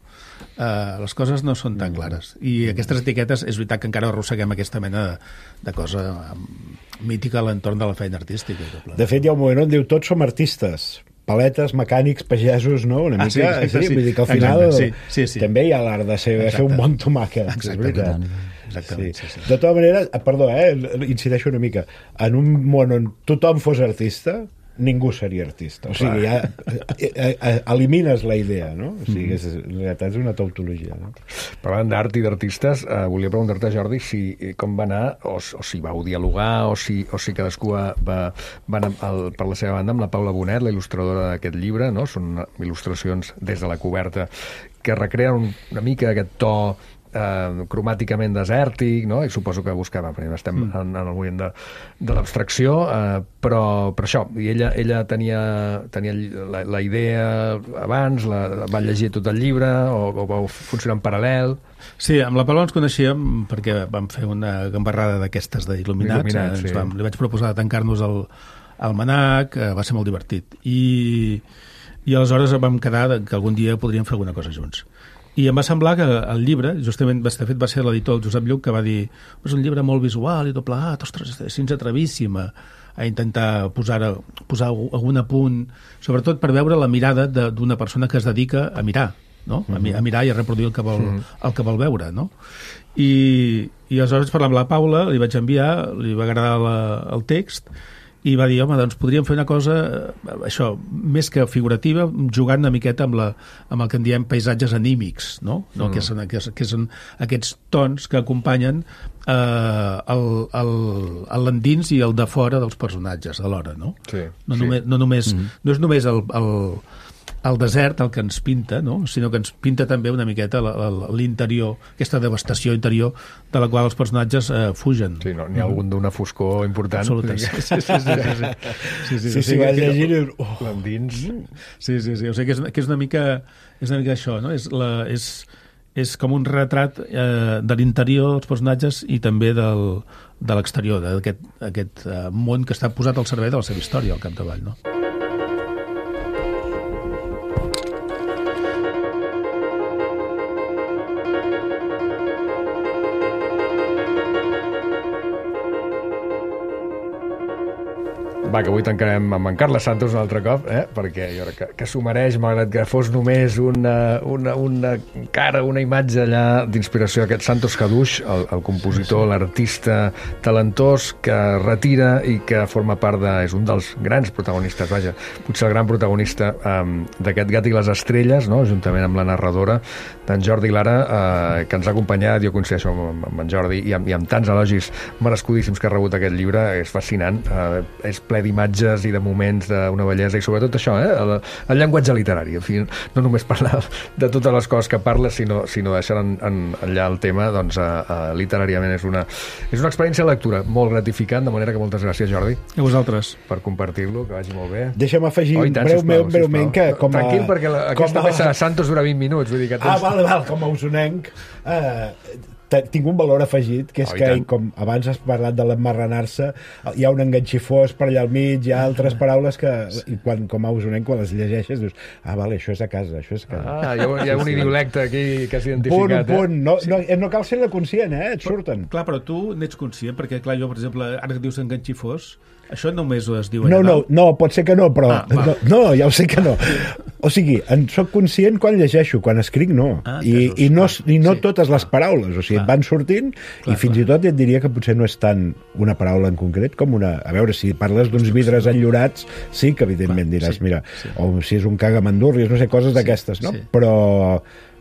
Uh, les coses no són tan clares. I aquestes etiquetes, és veritat que encara arrosseguem aquesta mena de, de cosa mítica a l'entorn de la feina artística. De fet, hi ha un moment on diu tots som artistes, paletes, mecànics, pagesos, no? Una mica, ah, sí, sí, sí. Vull dir que al final sí, sí, sí. també hi ha l'art de ser, fer un bon tomàquet. Exactament. Exactament. Sí. Sí, sí. De tota manera, perdó, eh, incideixo una mica, en un món on tothom fos artista, ningú seria artista. O sigui, ja elimines la idea, no? O sigui, és, en realitat és una tautologia, no? Parlant d'art i d'artistes, eh, volia preguntar-te, Jordi, si com va anar, o, o si vau dialogar, o si, o si cadascú va, va anar al, per la seva banda amb la Paula Bonet, la il·lustradora d'aquest llibre, no? Són il·lustracions des de la coberta que recreen una mica aquest to eh, cromàticament desèrtic, no? I suposo que buscava, perquè estem mm. en, en el moment de, de l'abstracció, eh, però, però això, i ella, ella tenia, tenia la, la idea abans, la, la va llegir tot el llibre, o, o va funcionar en paral·lel? Sí, amb la Paloma ens coneixíem perquè vam fer una gambarrada d'aquestes d'il·luminats, Il·luminats sí. vam, li vaig proposar de tancar-nos al, al Manac, eh, va ser molt divertit, i, i aleshores vam quedar que algun dia podríem fer alguna cosa junts. I em va semblar que el llibre, justament, de fet va ser l'editor, el Josep Lluc, que va dir és un llibre molt visual i tot plegat, ostres, si ens atrevíssim a, a intentar posar, posar algun apunt, sobretot per veure la mirada d'una persona que es dedica a mirar, no? a, mi, a mirar i a reproduir el que vol, el que vol veure, no? I, i aleshores parlant amb la Paula li vaig enviar, li va agradar la, el text i va dir, home, doncs podríem fer una cosa, això, més que figurativa, jugant una miqueta amb, la, amb el que en diem paisatges anímics, no? no? Mm. Que, són, que, que són aquests tons que acompanyen eh, l'endins i el de fora dels personatges alhora, no? Sí, no, sí. Només, no, només, Mm. no és només el, el, el desert el que ens pinta, no? Sinó que ens pinta també una miqueta l'interior, aquesta devastació interior de la qual els personatges eh, fugen. Sí, no, n'hi ha algun d'una foscor important. Absoluta. Sí, sí, sí. sí, sí, sí. sí, sí, Sí, sí, vas llegir... Oh. L'endins... Sí, sí, sí. O sigui que és, que és una mica és una mica això, no? És, la, és, és com un retrat eh, de l'interior dels personatges i també del, de l'exterior, d'aquest aquest, eh, món que està posat al servei de la seva història al capdavall, no? Va, que avui tancarem amb en Carles Santos un altre cop, eh? Perquè jo crec que, que s'ho mereix, malgrat que fos només una, una, una cara, una imatge allà d'inspiració d'aquest Santos Caduix, el, el compositor, l'artista talentós que retira i que forma part de... és un dels grans protagonistes, vaja, potser el gran protagonista um, d'aquest Gat i les estrelles, no? Juntament amb la narradora d'en Jordi Lara, eh, que ens ha acompanyat, jo coincideixo amb, amb en Jordi, i amb, i amb tants elogis merescudíssims que ha rebut aquest llibre, és fascinant, eh, és ple d'imatges i de moments d'una bellesa i sobretot això, eh? el, el llenguatge literari, en fi, no només parlar de totes les coses que parla, sinó, sinó deixar en, en, allà el tema, doncs uh, uh, literàriament és una, és una experiència de lectura molt gratificant, de manera que moltes gràcies, Jordi, a vosaltres per compartir-lo, que vagi molt bé. Deixa'm afegir oh, tant, breument, sisplau, breument que com a... Tranquil, perquè la, aquesta a... peça de Santos dura vint minuts, vull dir que tens... Ah, val, val, com a usonenc eh, tinc un valor afegit, que és oh, que, com abans has parlat de l'emmarranar-se, hi ha un enganxifós per allà al mig, hi ha altres paraules que, i quan, com a usonenc, quan les llegeixes, dius, ah, vale, això és a casa, això és a casa. Ah, hi ha, hi ha un idiolecte aquí que has identificat. Punt, punt. No, no, no cal ser-ne conscient, eh? Et surten. Clar, però tu n'ets conscient, perquè, clar, jo, per exemple, ara que dius enganxifós, això només ho es diu no, allà, no, no, pot ser que no, però... Ah, no, no, ja ho sé que no. O sigui, en soc conscient quan llegeixo, quan escric no. Ah, I, i no, i no sí. totes les paraules, o sigui, Clar. et van sortint Clar, i fins clar. i tot et diria que potser no és tant una paraula en concret com una... A veure, si parles d'uns vidres enllorats, sí que evidentment Clar, diràs, sí, mira, sí. o si és un cagamandurris, no sé, coses d'aquestes, no? sí. Però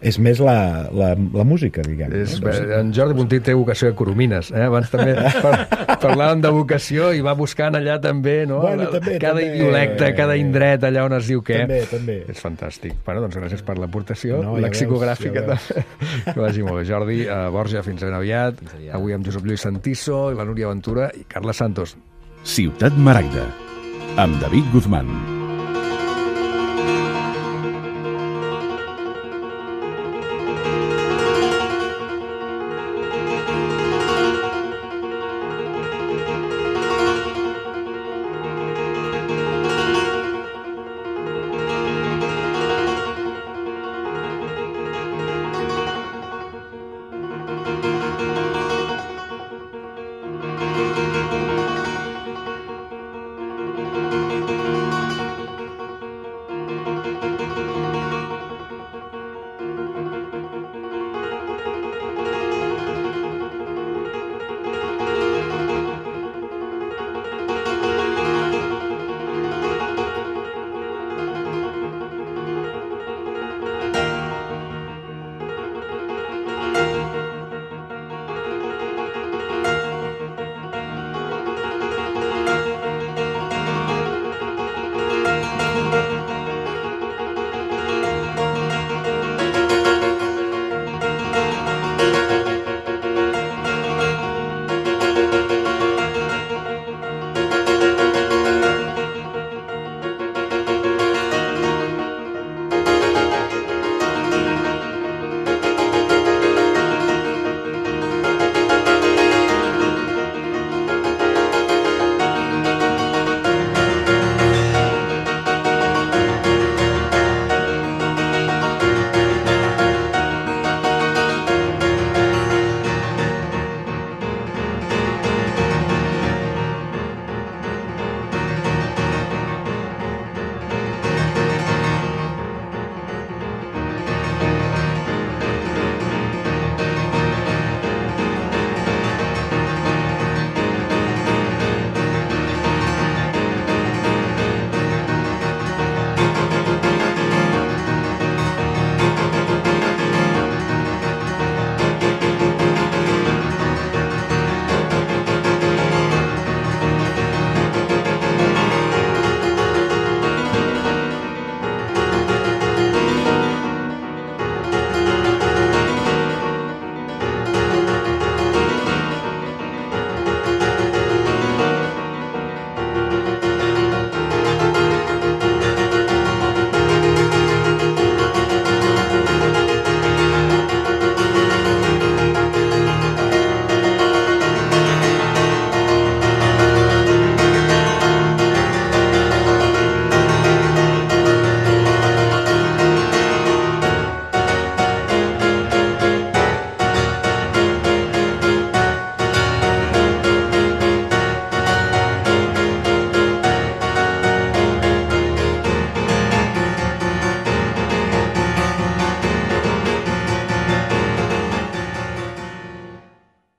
és més la, la, la música, diguem. És, no? en Jordi Puntí té vocació de coromines, eh? Abans també par, parlàvem de vocació i va buscant allà també, no? Bueno, també, cada també. idiolecte, cada indret allà on es diu què. També, també. És fantàstic. Bueno, doncs gràcies per l'aportació No, ja lexicogràfica veus, ja també. Que vagi molt bé. Jordi, uh, Borja, fins ben aviat. aviat. Avui amb Josep Lluís Santiso, i la Núria Ventura i Carles Santos. Ciutat Maragda, amb David Guzmán.